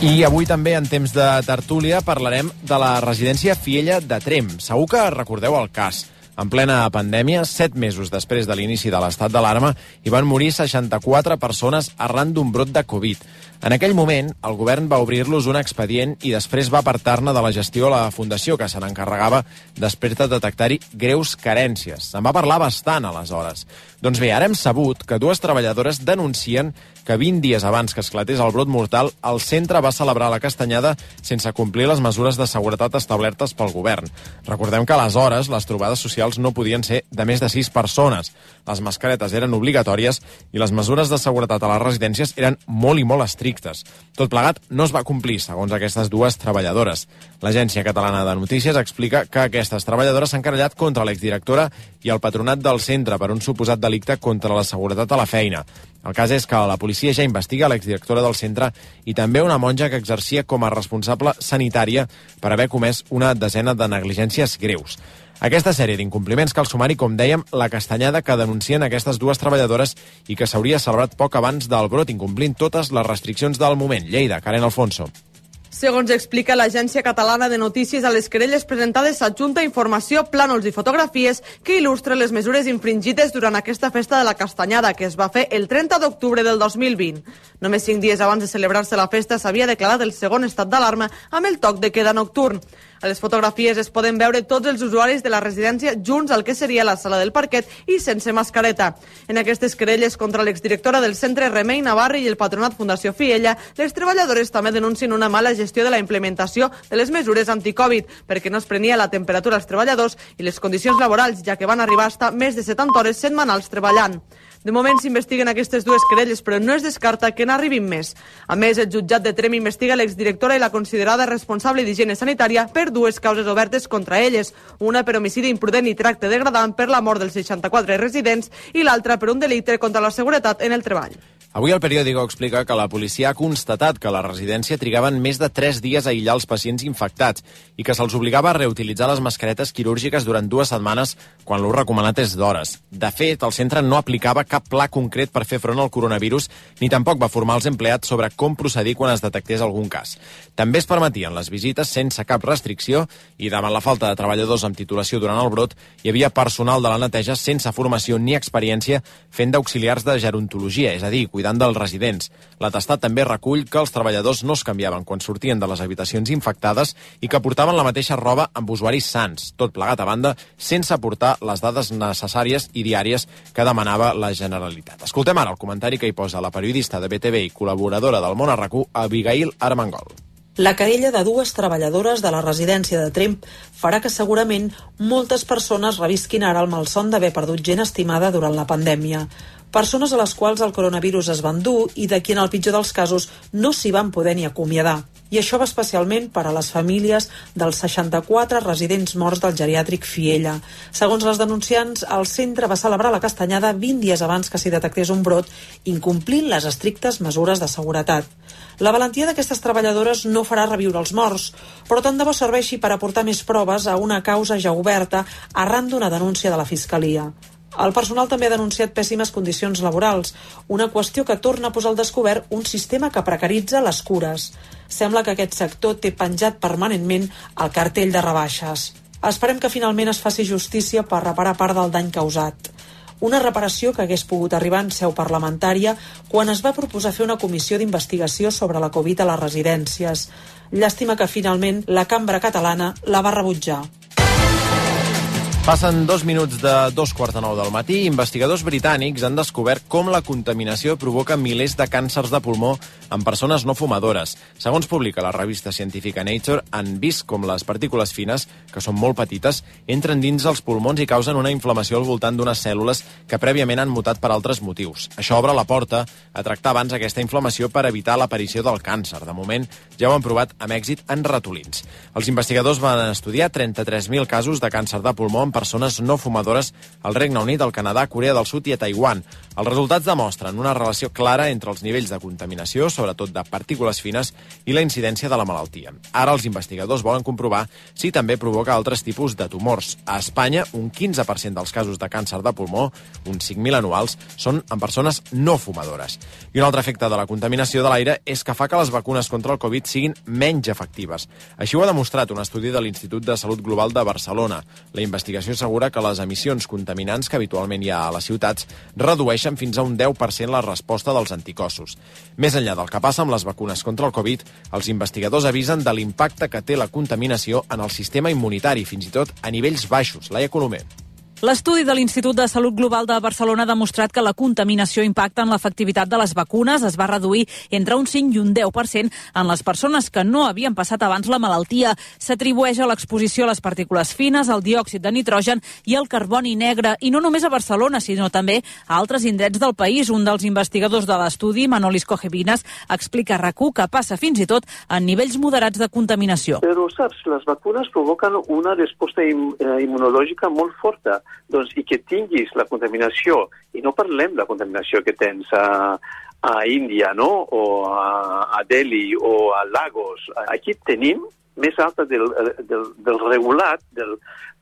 I avui també, en temps de tertúlia, parlarem de la residència Fiella de Tremp. Segur que recordeu el cas. En plena pandèmia, 7 mesos després de l'inici de l'estat d'alarma, hi van morir 64 persones arran d'un brot de Covid. En aquell moment, el govern va obrir-los un expedient i després va apartar-ne de la gestió a la Fundació, que se n'encarregava després de detectar-hi greus carències. Se'n va parlar bastant, aleshores. Doncs bé, ara hem sabut que 2 treballadores denuncien que 20 dies abans que esclatés el brot mortal, el centre va celebrar la castanyada sense complir les mesures de seguretat establertes pel govern. Recordem que aleshores les trobades socials no podien ser de més de 6 persones. Les mascaretes eren obligatòries i les mesures de seguretat a les residències eren molt i molt estrictes. Tot plegat no es va complir, segons aquestes 2 treballadores. L'Agència Catalana de Notícies explica que aquestes treballadores s'han querellat contra l'exdirectora i el patronat del centre per un suposat delicte contra la seguretat a la feina. El cas és que la policia ja investiga l'exdirectora del centre i també una monja que exercia com a responsable sanitària per haver comès una desena de negligències greus. Aquesta sèrie d'incompliments cal sumar-hi, com dèiem, la castanyada que denuncien aquestes dues treballadores i que s'hauria celebrat poc abans del brot, incomplint totes les restriccions del moment. Lleida, Karen Alfonso. Segons explica l'Agència Catalana de Notícies, a les querelles presentades s'adjunta informació, plànols i fotografies que il·lustren les mesures infringides durant aquesta festa de la castanyada, que es va fer el 30 d'octubre del 2020. Només 5 dies abans de celebrar-se la festa s'havia declarat el segon estat d'alarma amb el toc de queda nocturn. A les fotografies es poden veure tots els usuaris de la residència junts al que seria la sala del parquet i sense mascareta. En aquestes querelles contra l'exdirectora del centre Remei Navarri i el patronat Fundació Fiella, les treballadores també denuncien una mala gestió de la implementació de les mesures anticovid, perquè no es prenia la temperatura als treballadors i les condicions laborals, ja que van arribar a estar més de 70 hores setmanals treballant. De moment s'investiguen aquestes dues querelles, però no es descarta que n'arribin més. A més, el jutjat de Tremp investiga l'exdirectora i la considerada responsable d'higiene sanitària per dues causes obertes contra elles, una per homicidi imprudent i tracte degradant per la mort dels 64 residents i l'altra per un delicte contra la seguretat en el treball. Avui el periòdico explica que la policia ha constatat que a la residència trigaven més de 3 dies a aïllar els pacients infectats i que se'ls obligava a reutilitzar les mascaretes quirúrgiques durant 2 setmanes quan l'ús recomanat és d'hores. De fet, el centre no aplicava cap pla concret per fer front al coronavirus ni tampoc va formar els empleats sobre com procedir quan es detectés algun cas. També es permetien les visites sense cap restricció i davant la falta de treballadors amb titulació durant el brot hi havia personal de la neteja sense formació ni experiència fent d'auxiliars de gerontologia, és a dir, cuidant dels residents. L'atestat també recull que els treballadors no es canviaven quan sortien de les habitacions infectades i que portaven la mateixa roba amb usuaris sans, tot plegat a banda, sense aportar les dades necessàries i diàries que demanava la Generalitat. Escoltem ara el comentari que hi posa la periodista de BTV i col·laboradora del Món RQ, Abigail Armengol. La querella de dues treballadores de la residència de Tremp farà que segurament moltes persones revisquin ara el malson d'haver perdut gent estimada durant la pandèmia. Persones a les quals el coronavirus es va endur i de qui en el pitjor dels casos no s'hi van poder ni acomiadar. I això va especialment per a les famílies dels 64 residents morts del geriàtric Fiella. Segons les denunciants, el centre va celebrar la castanyada 20 dies abans que s'hi detectés un brot, incomplint les estrictes mesures de seguretat. La valentia d'aquestes treballadores no farà reviure els morts, però tant de bo serveixi per aportar més proves a una causa ja oberta arran d'una denúncia de la Fiscalia. El personal també ha denunciat pèssimes condicions laborals, una qüestió que torna a posar al descobert un sistema que precaritza les cures. Sembla que aquest sector té penjat permanentment el cartell de rebaixes. Esperem que finalment es faci justícia per reparar part del dany causat. Una reparació que hagués pogut arribar en seu parlamentària quan es va proposar fer una comissió d'investigació sobre la Covid a les residències. Llàstima que finalment la cambra catalana la va rebutjar. Passen 2 minuts de 2:45 del matí. Investigadors britànics han descobert com la contaminació provoca milers de càncers de pulmó en persones no fumadores. Segons publica la revista científica Nature, han vist com les partícules fines, que són molt petites, entren dins els pulmons i causen una inflamació al voltant d'unes cèl·lules que prèviament han mutat per altres motius. Això obre la porta a tractar abans aquesta inflamació per evitar l'aparició del càncer. De moment, ja ho han provat amb èxit en ratolins. Els investigadors van estudiar 33.000 casos de càncer de pulmó en persones no fumadores al Regne Unit, al Canadà, Corea del Sud i a Taiwan. Els resultats demostren una relació clara entre els nivells de contaminació, sobretot de partícules fines, i la incidència de la malaltia. Ara els investigadors volen comprovar si també provoca altres tipus de tumors. A Espanya, un 15% dels casos de càncer de pulmó, uns 5.000 anuals, són en persones no fumadores. I un altre efecte de la contaminació de l'aire és que fa que les vacunes contra el Covid siguin menys efectives. Així ho ha demostrat un estudi de l'Institut de Salut Global de Barcelona. La investigació assegura que les emissions contaminants que habitualment hi ha a les ciutats redueixen fins a un 10% la resposta dels anticossos. Més enllà del que passa amb les vacunes contra el Covid, els investigadors avisen de l'impacte que té la contaminació en el sistema immunitari, fins i tot a nivells baixos. Laia Colomer. L'estudi de l'Institut de Salut Global de Barcelona ha demostrat que la contaminació impacta en l'efectivitat de les vacunes. Es va reduir entre un 5 i un 10% en les persones que no havien passat abans la malaltia. S'atribueix a l'exposició a les partícules fines, al diòxid de nitrogen i al carboni negre. I no només a Barcelona, sinó també a altres indrets del país. Un dels investigadors de l'estudi, Manolis Cojevinas, explica a RAC1 que passa fins i tot en nivells moderats de contaminació. Però, saps, les vacunes provoquen una resposta immunològica molt forta. Doncs, i que tinguis la contaminació, i no parlem de la contaminació que tens a Índia, no? O a Delhi o a Lagos. Aquí tenim més alta del regulat,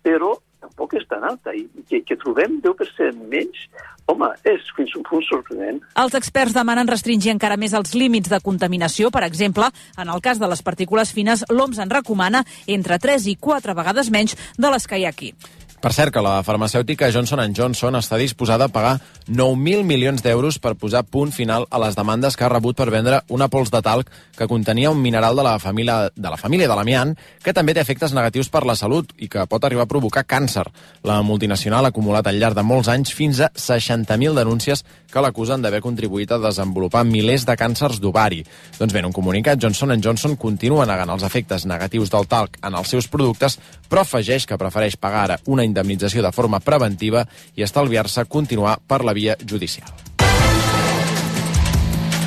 però tampoc és tan alta, i que trobem 10% menys, home, és fins un punt sorprenent. Els experts demanen restringir encara més els límits de contaminació. Per exemple, en el cas de les partícules fines, l'OMS en recomana entre 3 i 4 vegades menys de les que hi ha aquí. Per cert, que la farmacèutica Johnson & Johnson està disposada a pagar 9.000 milions d'euros per posar punt final a les demandes que ha rebut per vendre una pols de talc que contenia un mineral de la família de l'amiant que també té efectes negatius per la salut i que pot arribar a provocar càncer. La multinacional ha acumulat al llarg de molts anys fins a 60.000 denúncies que l'acusen d'haver contribuït a desenvolupar milers de càncers d'ovari. Doncs bé, en un comunicat, Johnson & Johnson continua negant els efectes negatius del talc en els seus productes, però afegeix que prefereix pagar ara una indemnització de forma preventiva i estalviar-se continuar per la via judicial.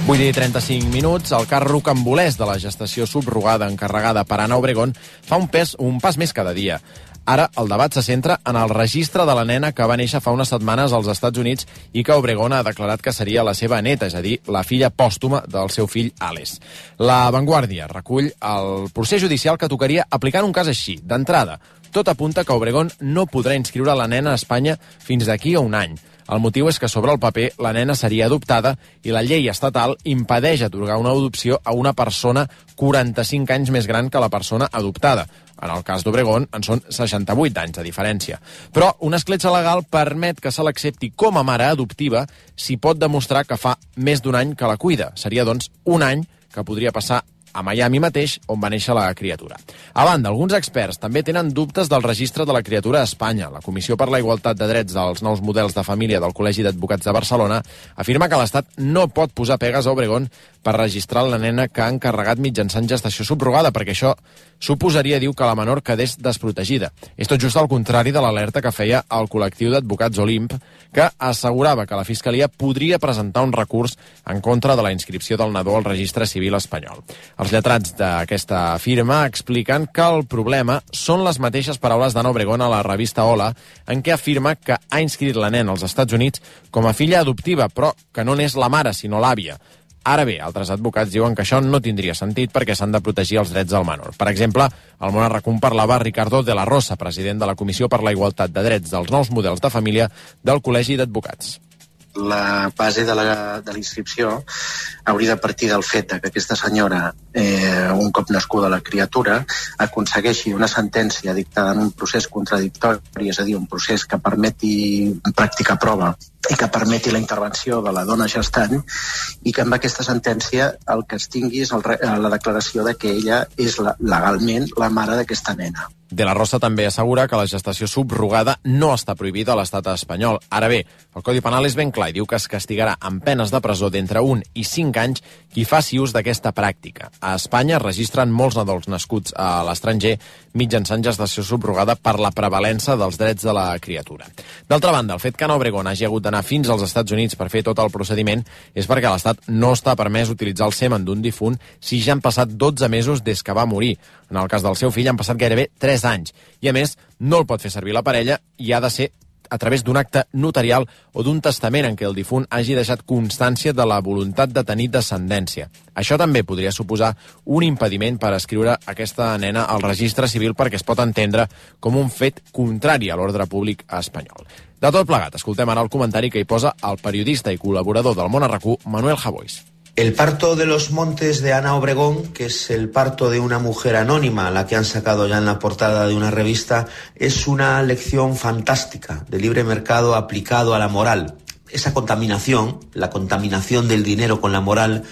8 i 35 minuts, el cas rocambolès de la gestació subrogada encarregada per Ana Obregón fa un pas més cada dia. Ara el debat se centra en el registre de la nena que va néixer fa unes setmanes als Estats Units i que Obregón ha declarat que seria la seva neta, és a dir, la filla pòstuma del seu fill Alex. La Vanguardia recull el procés judicial que tocaria aplicar un cas així, d'entrada. Tot apunta que Obregón no podrà inscriure la nena a Espanya fins d'aquí a un any. El motiu és que sobre el paper la nena seria adoptada i la llei estatal impedeix atorgar una adopció a una persona 45 anys més gran que la persona adoptada. En el cas d'Obregón en són 68 anys de diferència. Però una escletxa legal permet que se l'accepti com a mare adoptiva si pot demostrar que fa més d'un any que la cuida. Seria, doncs, un any que podria passar a Miami mateix, on va néixer la criatura. A banda, alguns experts també tenen dubtes del registre de la criatura a Espanya. La Comissió per la Igualtat de Drets dels Nous Models de Família del Col·legi d'Advocats de Barcelona afirma que l'Estat no pot posar pegues a Obregón per registrar la nena que ha encarregat mitjançant gestació subrogada, perquè això suposaria, diu, que la menor quedés desprotegida. És tot just al contrari de l'alerta que feia el col·lectiu d'advocats Olimp, que assegurava que la Fiscalia podria presentar un recurs en contra de la inscripció del nadó al registre civil espanyol. Els lletrats d'aquesta firma expliquen que el problema són les mateixes paraules d'Ana Obregón a la revista Hola, en què afirma que ha inscrit la nena als Estats Units com a filla adoptiva, però que no n'és la mare, sinó l'àvia. Ara bé, altres advocats diuen que això no tindria sentit perquè s'han de protegir els drets del menor. Per exemple, al Món Arracún parlava Ricardo de la Rosa, president de la Comissió per la Igualtat de Drets dels Nous Models de Família del Col·legi d'Advocats. La base de la inscripció hauria de partir del fet que aquesta senyora, un cop nascuda la criatura, aconsegueixi una sentència dictada en un procés contradictori, és a dir, un procés que permeti practicar prova i que permeti la intervenció de la dona gestant, i que amb aquesta sentència el que es tingui és la declaració de que ella és legalment la mare d'aquesta nena. De la Rosa també assegura que la gestació subrogada no està prohibida a l'estat espanyol. Ara bé, el Codi Penal és ben clar i diu que es castigarà amb penes de presó d'entre 1 i 5 anys qui faci ús d'aquesta pràctica. A Espanya es registren molts nadons nascuts a l'estranger mitjançant gestació subrogada per la prevalença dels drets de la criatura. D'altra banda, el fet que Ana Obregón hagi hagut d'anar fins als Estats Units per fer tot el procediment és perquè a l'Estat no està permès utilitzar el semen d'un difunt si ja han passat 12 mesos des que va morir. En el cas del seu fill han passat gairebé 3 anys. I a més, no el pot fer servir la parella i ha de ser a través d'un acte notarial o d'un testament en què el difunt hagi deixat constància de la voluntat de tenir descendència. Això també podria suposar un impediment per escriure aquesta nena al registre civil perquè es pot entendre com un fet contrari a l'ordre públic espanyol. De tot plegat, escoltem ara el comentari que hi posa el periodista i col·laborador del Món Arracú, Manuel Javois. El parto de los montes de Ana Obregón, que es el parto de una mujer anónima, la que han sacado ya en la portada de una revista, es una lección fantástica de libre mercado aplicado a la moral. Esa contaminación, la contaminación del dinero con la moral,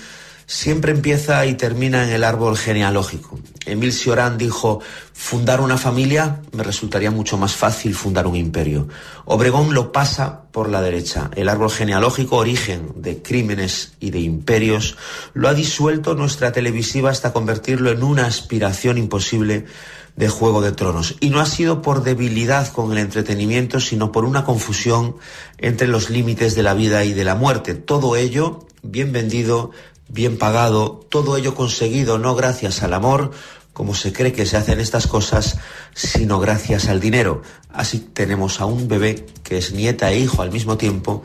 siempre empieza y termina en el árbol genealógico. Émile Cioran dijo: fundar una familia me resultaría mucho más fácil fundar un imperio. Obregón lo pasa por la derecha. El árbol genealógico, origen de crímenes y de imperios, lo ha disuelto nuestra televisiva hasta convertirlo en una aspiración imposible de Juego de Tronos. Y no ha sido por debilidad con el entretenimiento, sino por una confusión entre los límites de la vida y de la muerte. Todo ello bien vendido, bien pagado, todo ello conseguido no gracias al amor, como se cree que se hacen estas cosas, sino gracias al dinero. Así tenemos a un bebé que es nieta e hijo al mismo tiempo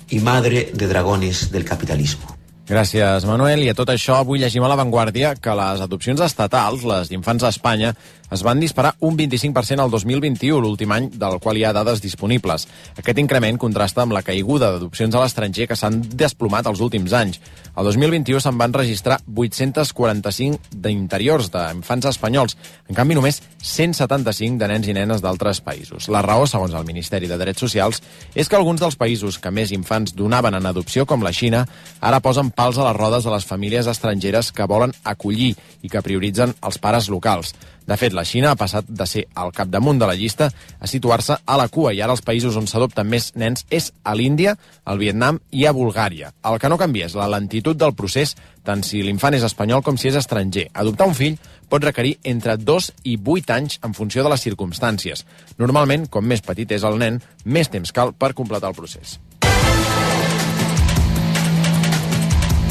y madre de dragones del capitalismo. Gràcies, Manuel. I a tot això, avui llegim a La Vanguardia que les adopcions estatals, les d'infants a Espanya, es van disparar un 25% al 2021, l'últim any del qual hi ha dades disponibles. Aquest increment contrasta amb la caiguda d'adopcions a l'estranger que s'han desplomat els últims anys. El 2021 se'n van registrar 845 d'interiors d'infants espanyols, en canvi només 175 de nens i nenes d'altres països. La raó, segons el Ministeri de Drets Socials, és que alguns dels països que més infants donaven en adopció, com la Xina, ara posen pals a les rodes a les famílies estrangeres que volen acollir i que prioritzen els pares locals. De fet, la Xina ha passat de ser al capdamunt de la llista a situar-se a la cua, i ara els països on s'adopten més nens és a l'Índia, al Vietnam i a Bulgària. El que no canvia és la lentitud del procés, tant si l'infant és espanyol com si és estranger. Adoptar un fill pot requerir entre 2 i 8 anys en funció de les circumstàncies. Normalment, com més petit és el nen, més temps cal per completar el procés.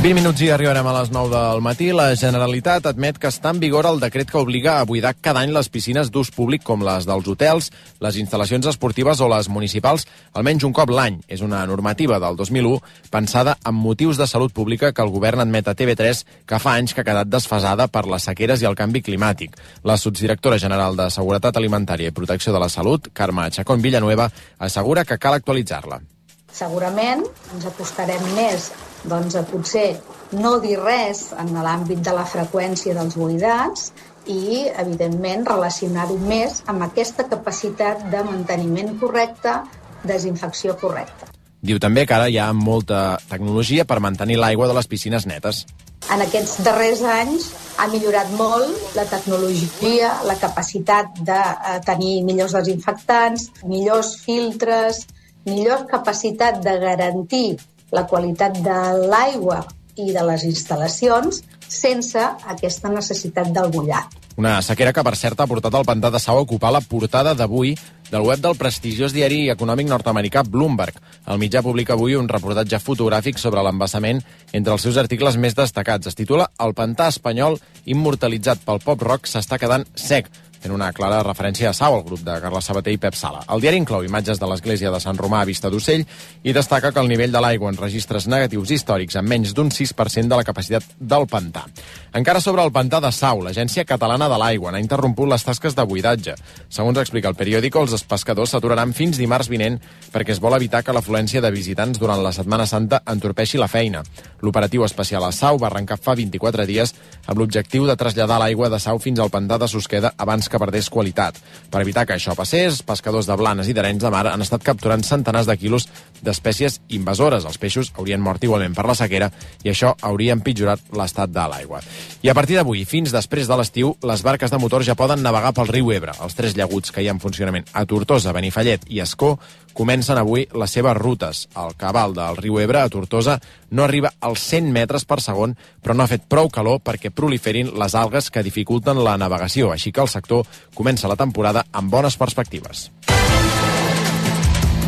20 minuts i arribarem a les 9 del matí. La Generalitat admet que està en vigor el decret que obliga a buidar cada any les piscines d'ús públic com les dels hotels, les instal·lacions esportives o les municipals, almenys un cop l'any. És una normativa del 2001 pensada amb motius de salut pública que el govern admet a TV3 que fa anys que ha quedat desfasada per les sequeres i el canvi climàtic. La subdirectora general de Seguretat Alimentària i Protecció de la Salut, Carme Chacón Villanueva, assegura que cal actualitzar-la. Segurament ens acostarem més a potser no dir res en l'àmbit de la freqüència dels buidats i, evidentment, relacionar-ho més amb aquesta capacitat de manteniment correcte, desinfecció correcta. Diu també que ara hi ha molta tecnologia per mantenir l'aigua de les piscines netes. En aquests darrers anys ha millorat molt la tecnologia, la capacitat de tenir millors desinfectants, millors filtres, millor capacitat de garantir la qualitat de l'aigua i de les instal·lacions sense aquesta necessitat del bullat. Una sequera que, per cert, ha portat el pantà de Sau a ocupar la portada d'avui del web del prestigiós diari econòmic nord-americà Bloomberg. El mitjà publica avui un reportatge fotogràfic sobre l'embassament entre els seus articles més destacats. Es titula "El pantà espanyol immortalitzat pel pop-rock s'està quedant sec", fent una clara referència a Sau, el grup de Carles Sabater i Pep Sala. El diari inclou imatges de l'església de Sant Romà a Vista d'Ocell i destaca que el nivell de l'aigua en registres negatius històrics amb menys d'un 6% de la capacitat del pantà. Encara sobre el pantà de Sau, l'Agència Catalana de l'Aigua n'ha interromput les tasques de buidatge. Segons explica el periòdico, els pescadors s'aturaran fins dimarts vinent perquè es vol evitar que l'afluència de visitants durant la Setmana Santa entorpeixi la feina. L'operatiu especial a Sau va arrencar fa 24 dies amb l'objectiu de traslladar l'aigua de Sau fins al pantà de Susqueda abans que perdés qualitat. Per evitar que això passés, pescadors de Blanes i d'Arenys de Mar han estat capturant centenars de quilos d'espècies invasores. Els peixos haurien mort igualment per la sequera i això hauria empitjorat l'estat de l'aigua. I a partir d'avui, fins després de l'estiu, les barques de motor ja poden navegar pel riu Ebre. Els 3 llaguts que hi ha en funcionament a Tortosa, Benifallet i Ascó comencen avui les seves rutes. El cabal del riu Ebre a Tortosa no arriba als 100 metres per segon, però no ha fet prou calor perquè proliferin les algues que dificulten la navegació, així que el sector comença la temporada amb bones perspectives.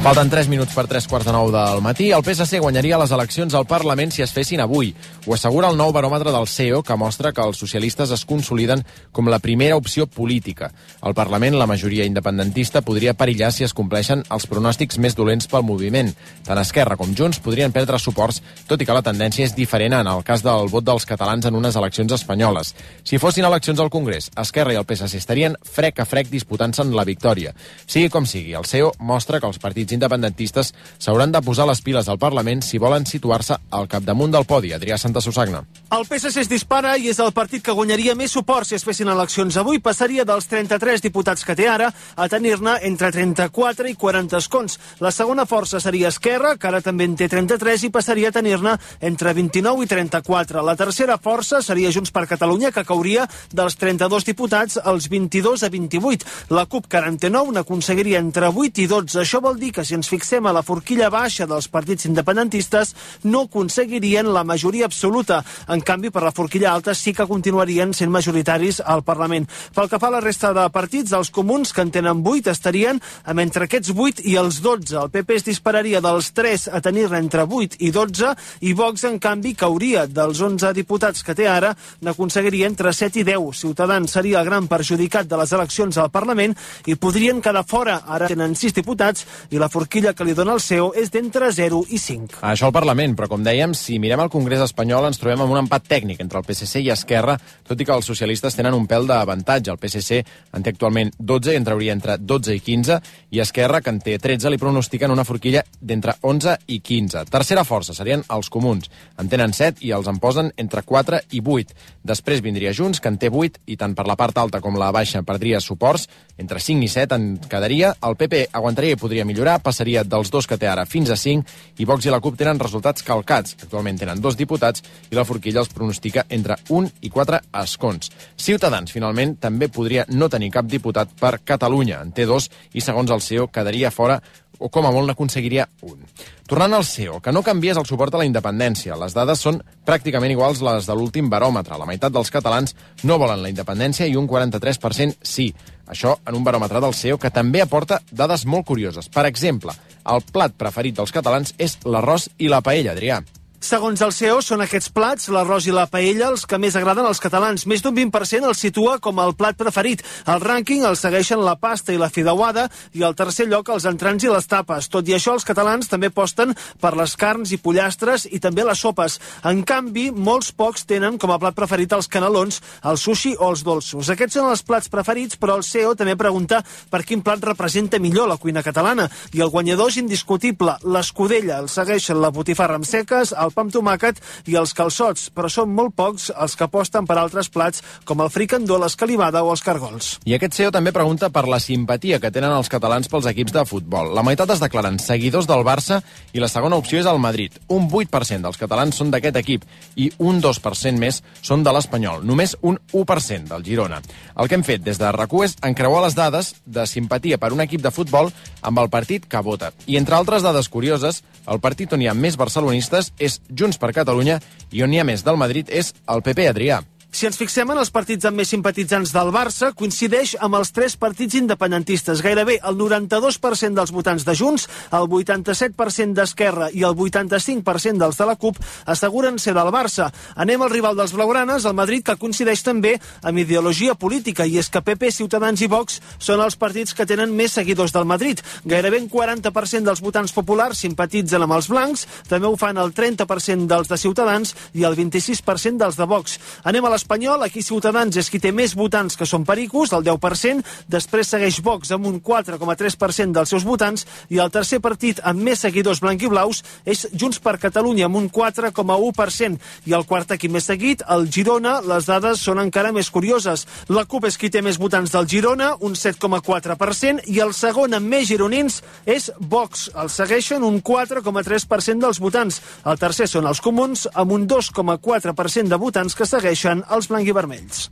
Falten 3 minuts per 3:45 del matí. El PSC guanyaria les eleccions al Parlament si es fessin avui. Ho assegura el nou baròmetre del CEO, que mostra que els socialistes es consoliden com la primera opció política. Al Parlament, la majoria independentista podria perillar si es compleixen els pronòstics més dolents pel moviment. Tant Esquerra com Junts podrien perdre suports, tot i que la tendència és diferent en el cas del vot dels catalans en unes eleccions espanyoles. Si fossin eleccions al Congrés, Esquerra i el PSC estarien frec a frec disputant-se'n la victòria. Sigui com sigui, el CEO mostra que els partits independentistes s'hauran de posar les piles al Parlament si volen situar-se al capdamunt del podi. Adrià Santasusagna. El PSC es dispara i és el partit que guanyaria més suport si es fessin eleccions avui. Passaria dels 33 diputats que té ara a tenir-ne entre 34 i 40 escons. La segona força seria Esquerra, que ara també en té 33, i passaria a tenir-ne entre 29 i 34. La tercera força seria Junts per Catalunya, que cauria dels 32 diputats als 22 a 28. La CUP, que ara en té 9, n'aconseguiria entre 8 i 12. Això vol dir que si ens fixem a la forquilla baixa dels partits independentistes, no aconseguirien la majoria absoluta. En canvi, per la forquilla alta sí que continuarien sent majoritaris al Parlament. Pel que fa a la resta de partits, els comuns, que en tenen 8, estarien amb entre aquests 8 i els 12. El PP es dispararia dels 3 a tenir-ne entre 8 i 12, i Vox, en canvi, cauria dels 11 diputats que té ara, n'aconseguiria entre 7 i 10. Ciutadans seria el gran perjudicat de les eleccions al Parlament i podrien quedar fora. Ara tenen 6 diputats i la forquilla que li dona el CEO és d'entre 0 i 5. Això al Parlament, però com dèiem, si mirem el Congrés espanyol ens trobem amb un empat tècnic entre el PSC i Esquerra, tot i que els socialistes tenen un pèl d'avantatge. El PSC en té actualment 12 i en trauria entre 12 i 15, i Esquerra, que en té 13, li pronostiquen una forquilla d'entre 11 i 15. Tercera força serien els comuns. En tenen 7 i els en posen entre 4 i 8. Després vindria Junts, que en té 8, i tant per la part alta com la baixa perdria suports. Entre 5 i 7 en quedaria. El PP aguantaria i podria millorar, passaria dels 2 que té ara fins a 5, i Vox i la CUP tenen resultats calcats. Actualment tenen 2 diputats i la forquilla els pronostica entre 1 i 4 escons. Ciutadans, finalment, també podria no tenir cap diputat per Catalunya. En té 2 i, segons el CEO, quedaria fora o com a molt n'aconseguiria un. Tornant al CEO, que no canvies el suport a la independència. Les dades són pràcticament iguals les de l'últim baròmetre. La meitat dels catalans no volen la independència i un 43% sí. Això en un baròmetre del CEO que també aporta dades molt curioses. Per exemple, el plat preferit dels catalans és l'arròs i la paella, Adrià. Segons el CEO, són aquests plats, l'arròs i la paella, els que més agraden als catalans. Més d'un 20% els situa com el plat preferit. Al rànquing els segueixen la pasta i la fideuada i al tercer lloc els entrants i les tapes. Tot i això, els catalans també aposten per les carns i pollastres i també les sopes. En canvi, molts pocs tenen com a plat preferit els canelons, el sushi o els dolços. Aquests són els plats preferits, però el CEO també pregunta per quin plat representa millor la cuina catalana. I el guanyador és indiscutible. L'escudella el segueixen la botifarra amb seques, el pa amb tomàquet i els calçots, però són molt pocs els que aposten per altres plats com el fricandó, l'escalivada o els cargols. I aquest CEO també pregunta per la simpatia que tenen els catalans pels equips de futbol. La meitat es declaren seguidors del Barça i la segona opció és el Madrid. Un 8% dels catalans són d'aquest equip i un 2% més són de l'Espanyol. Només un 1% del Girona. El que hem fet des de RAC1 és encreuar les dades de simpatia per un equip de futbol amb el partit que vota. I entre altres dades curioses, el partit on hi ha més barcelonistes és Junts per Catalunya i on hi ha més del Madrid és el PP, Adrià. Si ens fixem en els partits amb més simpatitzants del Barça, coincideix amb els 3 partits independentistes. Gairebé el 92% dels votants de Junts, el 87% d'Esquerra i el 85% dels de la CUP asseguren ser del Barça. Anem al rival dels blaugranes, el Madrid, que coincideix també amb ideologia política, i és que PP, Ciutadans i Vox són els partits que tenen més seguidors del Madrid. Gairebé un 40% dels votants populars simpatitzen amb els blancs, també ho fan el 30% dels de Ciutadans i el 26% dels de Vox. Anem a l'Espanyol, aquí Ciutadans és qui té més votants, que són pericos, el 10%, després segueix Vox amb un 4,3% dels seus votants, i el tercer partit amb més seguidors blanquiblaus és Junts per Catalunya, amb un 4,1%, i el quart equip més seguit, el Girona, les dades són encara més curioses. La CUP és qui té més votants del Girona, un 7,4%, i el segon amb més gironins és Vox. El segueixen un 4,3% dels votants. El tercer són els comuns, amb un 2,4% de votants que segueixen els blanc-i-vermells.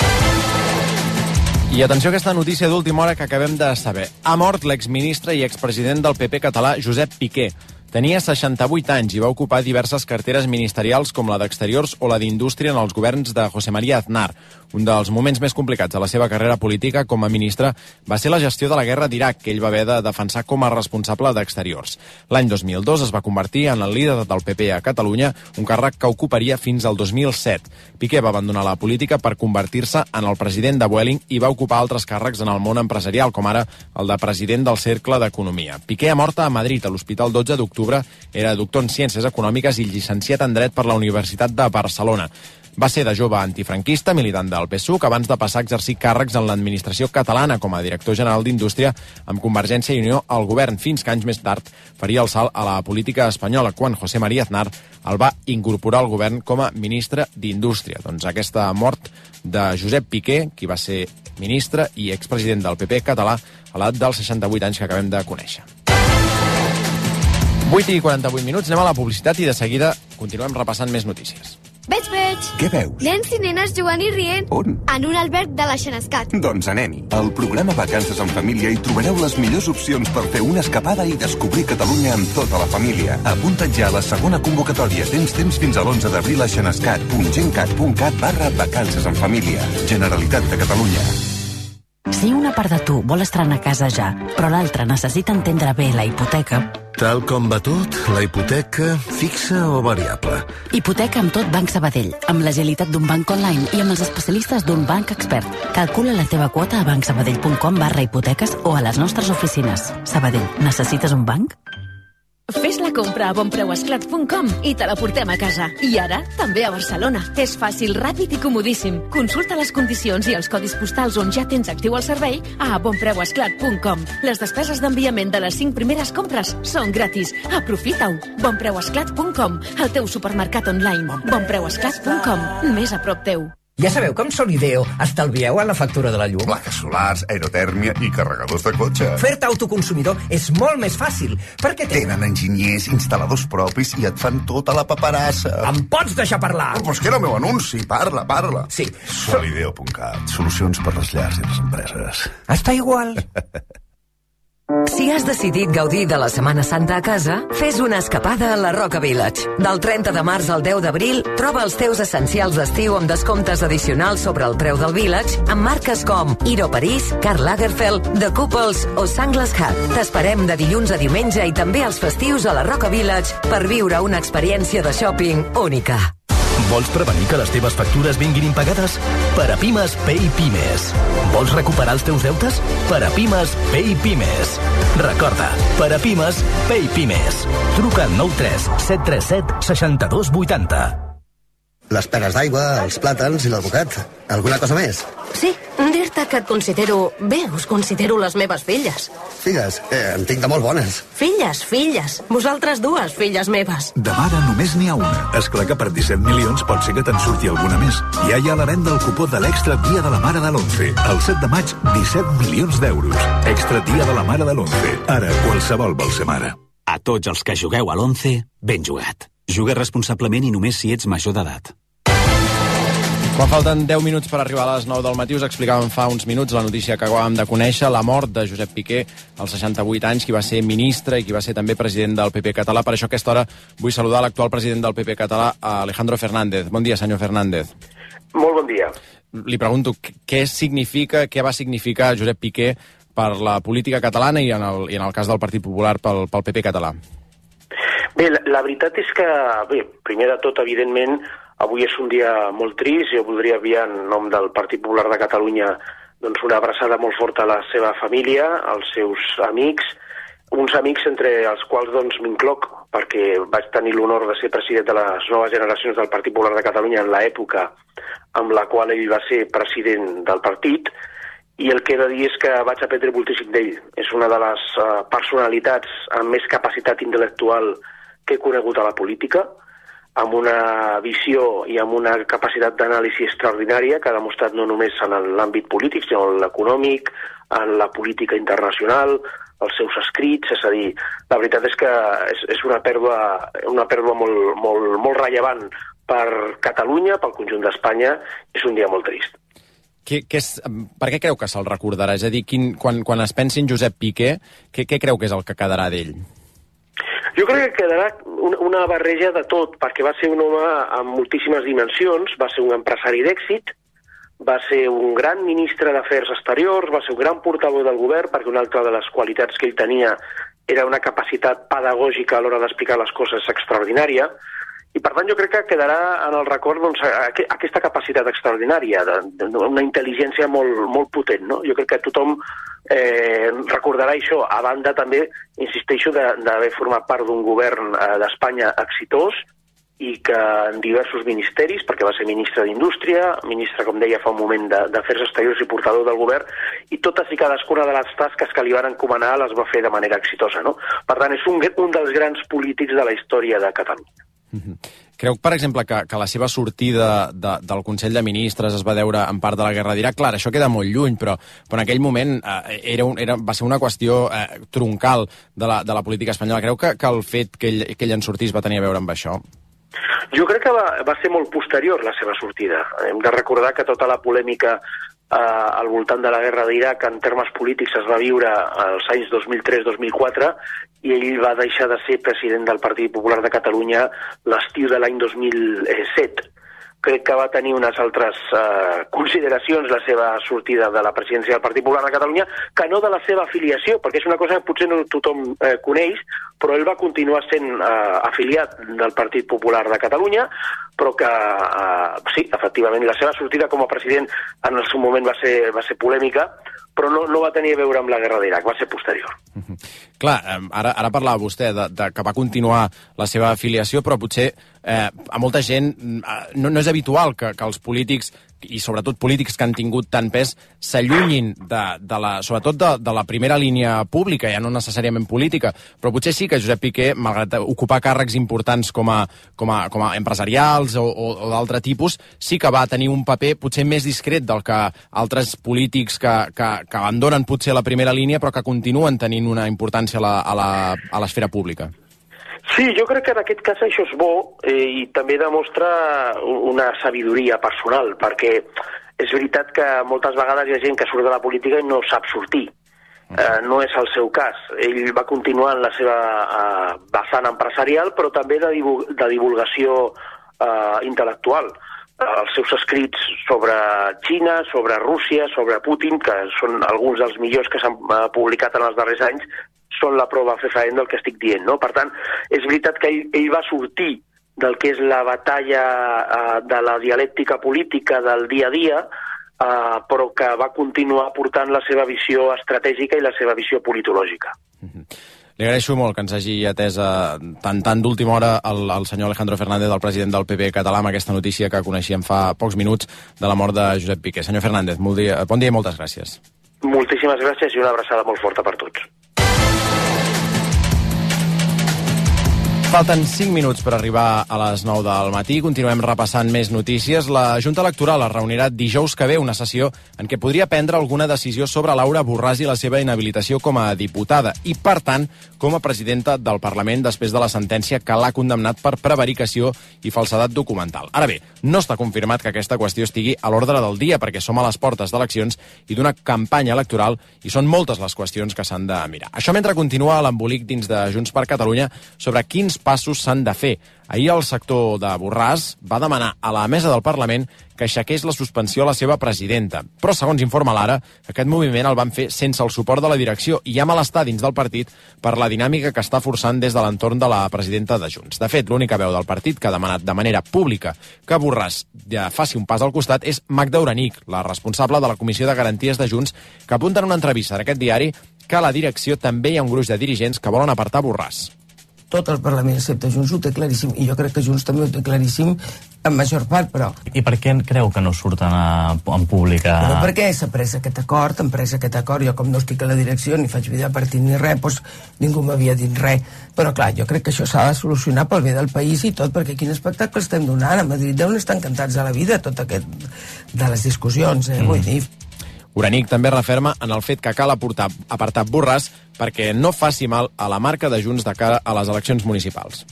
I atenció a aquesta notícia d'última hora que acabem de saber. Ha mort l'exministre i expresident del PP català Josep Piqué. Tenia 68 anys i va ocupar diverses carteres ministerials com la d'Exteriors o la d'Indústria en els governs de José María Aznar. Un dels moments més complicats de la seva carrera política com a ministre va ser la gestió de la guerra d'Iraq, que ell va haver de defensar com a responsable d'Exteriors. L'any 2002 es va convertir en el líder del PP a Catalunya, un càrrec que ocuparia fins al 2007. Piqué va abandonar la política per convertir-se en el president de Vueling i va ocupar altres càrrecs en el món empresarial, com ara el de president del Cercle d'Economia. Piqué ha mort a Madrid, a l'Hospital 12 d'Octubre. Era doctor en Ciències Econòmiques i llicenciat en Dret per la Universitat de Barcelona. Va ser de jove antifranquista, militant del PSUC, abans de passar a exercir càrrecs en l'administració catalana com a director general d'Indústria amb Convergència i Unió al govern, fins que anys més tard faria el salt a la política espanyola, quan José María Aznar el va incorporar al govern com a ministre d'Indústria. Doncs aquesta mort de Josep Piqué, qui va ser ministre i expresident del PP català a l'edat dels 68 anys que acabem de conèixer. 8:48, anem a la publicitat i de seguida continuem repassant més notícies. Veig. Què veus? Nens i nenes jugant i rient. On? En un alberg de la Xenescat. Doncs anem-hi. Al programa Vacances en Família hi trobareu les millors opcions per fer una escapada i descobrir Catalunya amb tota la família. Apunta't ja a la segona convocatòria. Tens temps fins a l'11 d'abril a xenescat.gencat.cat/vacances en família. Generalitat de Catalunya. Si una part de tu vol estrenar casa ja, però l'altra necessita entendre bé la hipoteca... Tal com va tot, la hipoteca fixa o variable? Hipoteca amb tot Banc Sabadell, amb l'agilitat d'un banc online i amb els especialistes d'un banc expert. Calcula la teva quota a bancsabadell.com/hipoteques o a les nostres oficines. Sabadell, necessites un banc? Fes la compra a bonpreuesclat.com i te la portem a casa. I ara, també a Barcelona. És fàcil, ràpid i comodíssim. Consulta les condicions i els codis postals on ja tens actiu el servei a bonpreuesclat.com. Les despeses d'enviament de les 5 primeres compres són gratis. Aprofita-ho. bonpreuesclat.com, el teu supermercat online. bonpreuesclat.com, més a prop teu. Ja sabeu que amb Solideo estalvieu en la factura de la llum? Plaques solars, aerotèrmia i carregadors de cotxe. Fer-te autoconsumidor és molt més fàcil, perquè tenen enginyers, instal·ladors propis i et fan tota la paperassa. Em pots deixar parlar? Però és que era el meu anunci, parla. Sí. Solideo.cat, solucions per les llars i les empreses. Està igual. Si has decidit gaudir de la Setmana Santa a casa, fes una escapada a la Roca Village. Del 30 de març al 10 d'abril, troba els teus essencials d'estiu amb descomptes addicionals sobre el preu del Village amb marques com Hero Paris, Karl Lagerfeld, The Couples o Sunglass Hut. T'esperem de dilluns a diumenge i també als festius a la Roca Village per viure una experiència de shopping única. Vols prevenir que les teves factures vinguin impagades? Per a Pimes, Pay Pimes. Vols recuperar els teus deutes? Per a Pimes, Pay Pimes. Recorda, per a Pimes, Pay Pimes. Truca al 93 737 62 80. Les peres d'aigua, els plàtans i l'advocat. Alguna cosa més? Sí, dir-te que et considero... Bé, us considero les meves filles. Filles? En tinc de molt bones. Filles. Vosaltres dues, filles meves. De mare només n'hi ha una. És clar que per 17 milions pot ser que te'n surti alguna més. Ja hi ha a la venda el cupó de l'Extra Dia de la Mare de l'11. El 7 de maig, 17 milions d'euros. Extra Dia de la Mare de l'11. Ara, qualsevol vol ser mare. A tots els que jugueu a l'11, ben jugat. Juga responsablement i només si ets major d'edat. Quan falten 10 minuts per arribar a les 9 del matí, us explicàvem fa uns minuts la notícia que acabàvem de conèixer, la mort de Josep Piqué, als 68 anys, qui va ser ministre i qui va ser també president del PP català. Per això a aquesta hora vull saludar l'actual president del PP català, Alejandro Fernández. Bon dia, senyor Fernández. Molt bon dia. Li pregunto, què va significar Josep Piqué per la política catalana i en el cas del Partit Popular pel PP català? Bé, la veritat és que, primer de tot, evidentment, avui és un dia molt trist. Jo voldria enviar en nom del Partit Popular de Catalunya doncs, una abraçada molt forta a la seva família, als seus amics, uns amics entre els quals doncs, m'incloc, perquè vaig tenir l'honor de ser president de les noves generacions del Partit Popular de Catalunya en l'època amb la qual ell va ser president del partit, i el que he de dir és que vaig aprendre moltíssim d'ell. És una de les personalitats amb més capacitat intel·lectual que he conegut a la política, amb una visió i amb una capacitat d'anàlisi extraordinària que ha demostrat no només en l'àmbit polític, sinó en l'econòmic, en la política internacional, els seus escrits. És a dir, la veritat és que és una pèrdua molt rellevant per Catalunya, pel conjunt d'Espanya. És un dia molt trist. Per què creu que se'l recordarà? És a dir, quan es pensi en Josep Piqué, què creu que és el que quedarà d'ell? Jo crec que quedarà una barreja de tot, perquè va ser un home amb moltíssimes dimensions, va ser un empresari d'èxit, va ser un gran ministre d'Afers Exteriors, va ser un gran portaveu del govern, perquè una altra de les qualitats que ell tenia era una capacitat pedagògica a l'hora d'explicar les coses extraordinària, i per tant jo crec que quedarà en el record doncs, aquesta capacitat extraordinària, una intel·ligència molt potent. No? Jo crec que tothom recordarà això, a banda també, insisteixo, d'haver format part d'un govern d'Espanya exitós i que en diversos ministeris, perquè va ser ministre d'Indústria, ministre, com deia fa un moment, d'Afers Exteriors i portador del govern, i totes i cadascuna de les tasques que li van encomanar les va fer de manera exitosa. No? Per tant, és un dels grans polítics de la història de Catalunya. Creu, per exemple, que la seva sortida del Consell de Ministres es va deure en part de la guerra d'Iraq? Clar, això queda molt lluny, però en aquell moment va ser una qüestió troncal de la política espanyola. Creu que el fet que ell en sortís va tenir a veure amb això? Jo crec que va ser molt posterior la seva sortida. Hem de recordar que tota la polèmica al voltant de la guerra d'Iraq en termes polítics es va viure als anys 2003-2004 i ell va deixar de ser president del Partit Popular de Catalunya l'estiu de l'any 2007. Crec que va tenir unes altres consideracions la seva sortida de la presidència del Partit Popular de Catalunya que no de la seva afiliació, perquè és una cosa que potser no tothom coneix, però ell va continuar sent afiliat del Partit Popular de Catalunya, però que sí, efectivament, la seva sortida com a president en el seu moment va ser polèmica, però no va tenir a veure amb la guerra d'Iraq, va ser posterior. Clar, ara parlava vostè que va continuar la seva afiliació, però potser a molta gent no és habitual que els polítics, i sobretot polítics que han tingut tant pes, s'allunyin sobretot de la primera línia pública, ja no necessàriament política, però potser sí que Josep Piqué, malgrat ocupar càrrecs importants com a empresarials o d'altre tipus, sí que va tenir un paper potser més discret del que altres polítics que abandonen potser la primera línia però que continuen tenint una importància a l'esfera pública. Sí, jo crec que en aquest cas això és bo i també demostra una sabidoria personal, perquè és veritat que moltes vegades hi ha gent que surt de la política i no sap sortir. No és el seu cas. Ell va continuar en la seva vessant empresarial, però també de divulgació intel·lectual. Els seus escrits sobre Xina, sobre Rússia, sobre Putin, que són alguns dels millors que s'han publicat en els darrers anys, són la prova fefaent del que estic dient, no? Per tant, és veritat que ell va sortir del que és la batalla de la dialèctica política del dia a dia, però que va continuar portant la seva visió estratègica i la seva visió politològica. Li agraeixo molt que ens hagi atès tant d'última hora el senyor Alejandro Fernández, el president del PP català, amb aquesta notícia que coneixíem fa pocs minuts de la mort de Josep Piqué. Senyor Fernández, bon dia i moltes gràcies. Moltíssimes gràcies i una abraçada molt forta per tots. Falten 5 minuts per arribar a les 9 del matí. Continuem repassant més notícies. La Junta Electoral es reunirà dijous que ve, una sessió en què podria prendre alguna decisió sobre Laura Borràs i la seva inhabilitació com a diputada i, per tant, com a presidenta del Parlament després de la sentència que l'ha condemnat per prevaricació i falsedat documental. Ara bé, no està confirmat que aquesta qüestió estigui a l'ordre del dia perquè som a les portes d'eleccions i d'una campanya electoral i són moltes les qüestions que s'han de mirar. Això mentre continua l'embolic dins de Junts per Catalunya sobre quins passos s'han de fer. Ahir el sector de Borràs va demanar a la mesa del Parlament que aixequés la suspensió a la seva presidenta. Però, segons informa l'Ara, aquest moviment el van fer sense el suport de la direcció i hi ha malestar dins del partit per la dinàmica que està forçant des de l'entorn de la presidenta de Junts. De fet, l'única veu del partit que ha demanat de manera pública que Borràs ja faci un pas al costat és Magda Uranic, la responsable de la Comissió de Garanties de Junts, que apunta en una entrevista d'aquest diari que a la direcció també hi ha un gruix de dirigents que volen apartar Borràs. Tot el Parlament, excepte Junts, ho té claríssim, i jo crec que Junts també ho té claríssim en major part, però... I per què creu que no surten en públic? Però perquè s'ha pres aquest acord, jo com no estic a la direcció, ni faig vida partit ni res, doncs ningú m'havia dit res. Però clar, jo crec que això s'ha de solucionar pel bé del país i tot, perquè quin espectacle estem donant. A Madrid deuen estar encantats a la vida, tot aquest de les discussions, vull dir... Uranic també referma en el fet que cal apartar Borràs perquè no faci mal a la marca de Junts de cara a les eleccions municipals.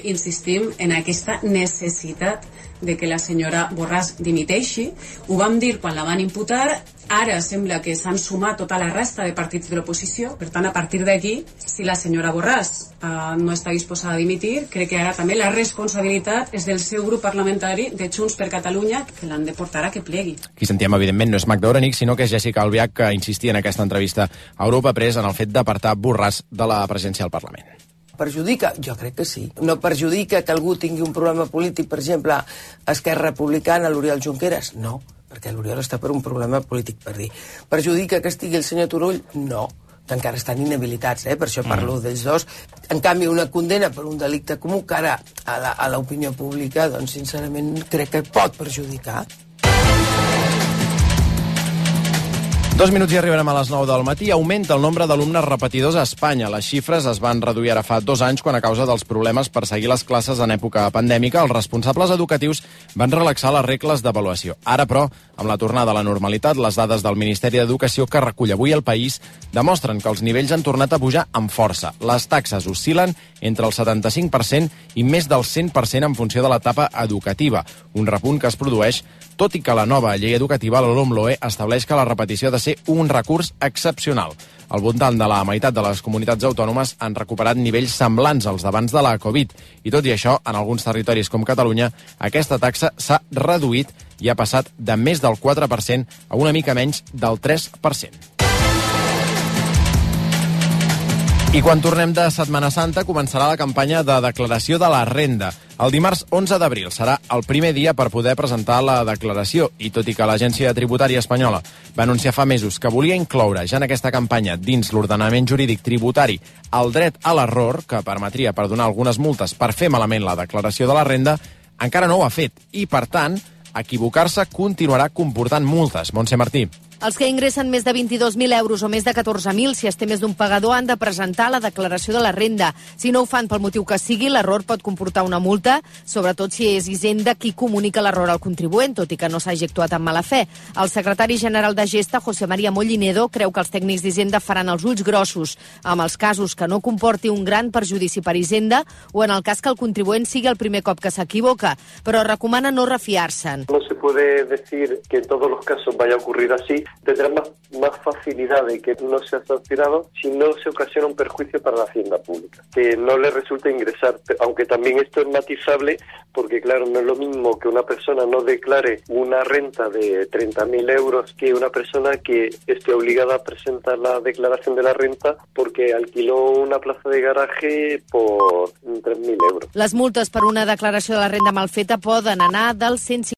Insistim en aquesta necessitat de que la senyora Borràs dimiteixi. Ho vam dir quan la van imputar, ara sembla que s'han sumat tota la resta de partits de l'oposició, per tant, a partir d'aquí, si la senyora Borràs no està disposada a dimitir, crec que ara també la responsabilitat és del seu grup parlamentari de Junts per Catalunya, que l'han de portar a que plegui. Qui sentíem, evidentment, no és Magda Uranic, sinó que és Jessica Albiach, que insistia en aquesta entrevista a Europa Press en el fet d'apartar Borràs de la presidència del Parlament. Perjudica? Jo crec que sí. No perjudica que algú tingui un problema polític, per exemple, a Esquerra Republicana, l'Oriol Junqueras? No, perquè l'Oriol està per un problema polític, per dir. Perjudica que estigui el senyor Turull? No, que encara estan inhabilitats, per això parlo d'ells dos. En canvi, una condena per un delicte comú que ara a l'opinió pública, doncs, sincerament, crec que pot perjudicar. 2 minuts i arribarem a les 9 del matí. Augmenta el nombre d'alumnes repetidors a Espanya. Les xifres es van reduir ara fa 2 anys quan, a causa dels problemes per seguir les classes en època pandèmica, els responsables educatius van relaxar les regles d'avaluació. Ara, però, amb la tornada a la normalitat, les dades del Ministeri d'Educació que recull avui el País demostren que els nivells han tornat a pujar amb força. Les taxes oscil·len entre el 75% i més del 100% en funció de l'etapa educativa, un repunt que es produeix tot i que la nova llei educativa, la LOMLOE, estableix que la repetició ha de ser un recurs excepcional. Al voltant de la meitat de les comunitats autònomes han recuperat nivells semblants als d'abans de la Covid. I tot i això, en alguns territoris com Catalunya, aquesta taxa s'ha reduït i ha passat de més del 4% a una mica menys del 3%. I quan tornem de Setmana Santa començarà la campanya de declaració de la renda. El dimarts 11 d'abril serà el primer dia per poder presentar la declaració i tot i que l'Agència Tributària Espanyola va anunciar fa mesos que volia incloure ja en aquesta campanya dins l'ordenament jurídic tributari el dret a l'error que permetria perdonar algunes multes per fer malament la declaració de la renda, encara no ho ha fet i, per tant, equivocar-se continuarà comportant multes. Montse Martí. Els que ingressen més de 22.000 euros o més de 14.000, si es té més d'un pagador, han de presentar la declaració de la renda. Si no ho fan pel motiu que sigui, l'error pot comportar una multa, sobretot si és Hisenda qui comunica l'error al contribuent, tot i que no s'hagi actuat amb mala fe. El secretari general de Gesta, José María Mollinedo, creu que els tècnics d'Hisenda faran els ulls grossos amb els casos que no comporti un gran perjudici per Hisenda o en el cas que el contribuent sigui el primer cop que s'equivoca, però recomana no refiar-se'n. No se puede decir que en todos los casos vaya a ocurrir así. Tendrá más facilidad de que no sea sancionado si no se ocasiona un perjuicio para la hacienda pública, que no le resulte ingresar, aunque también esto es matizable porque claro, no es lo mismo que una persona no declare una renta de 30.000 euros que una persona que esté obligada a presentar la declaración de la renta porque alquiló una plaza de garaje por 3.000 euros. Les multes per una declaració de la renda mal feta poden anar dels 150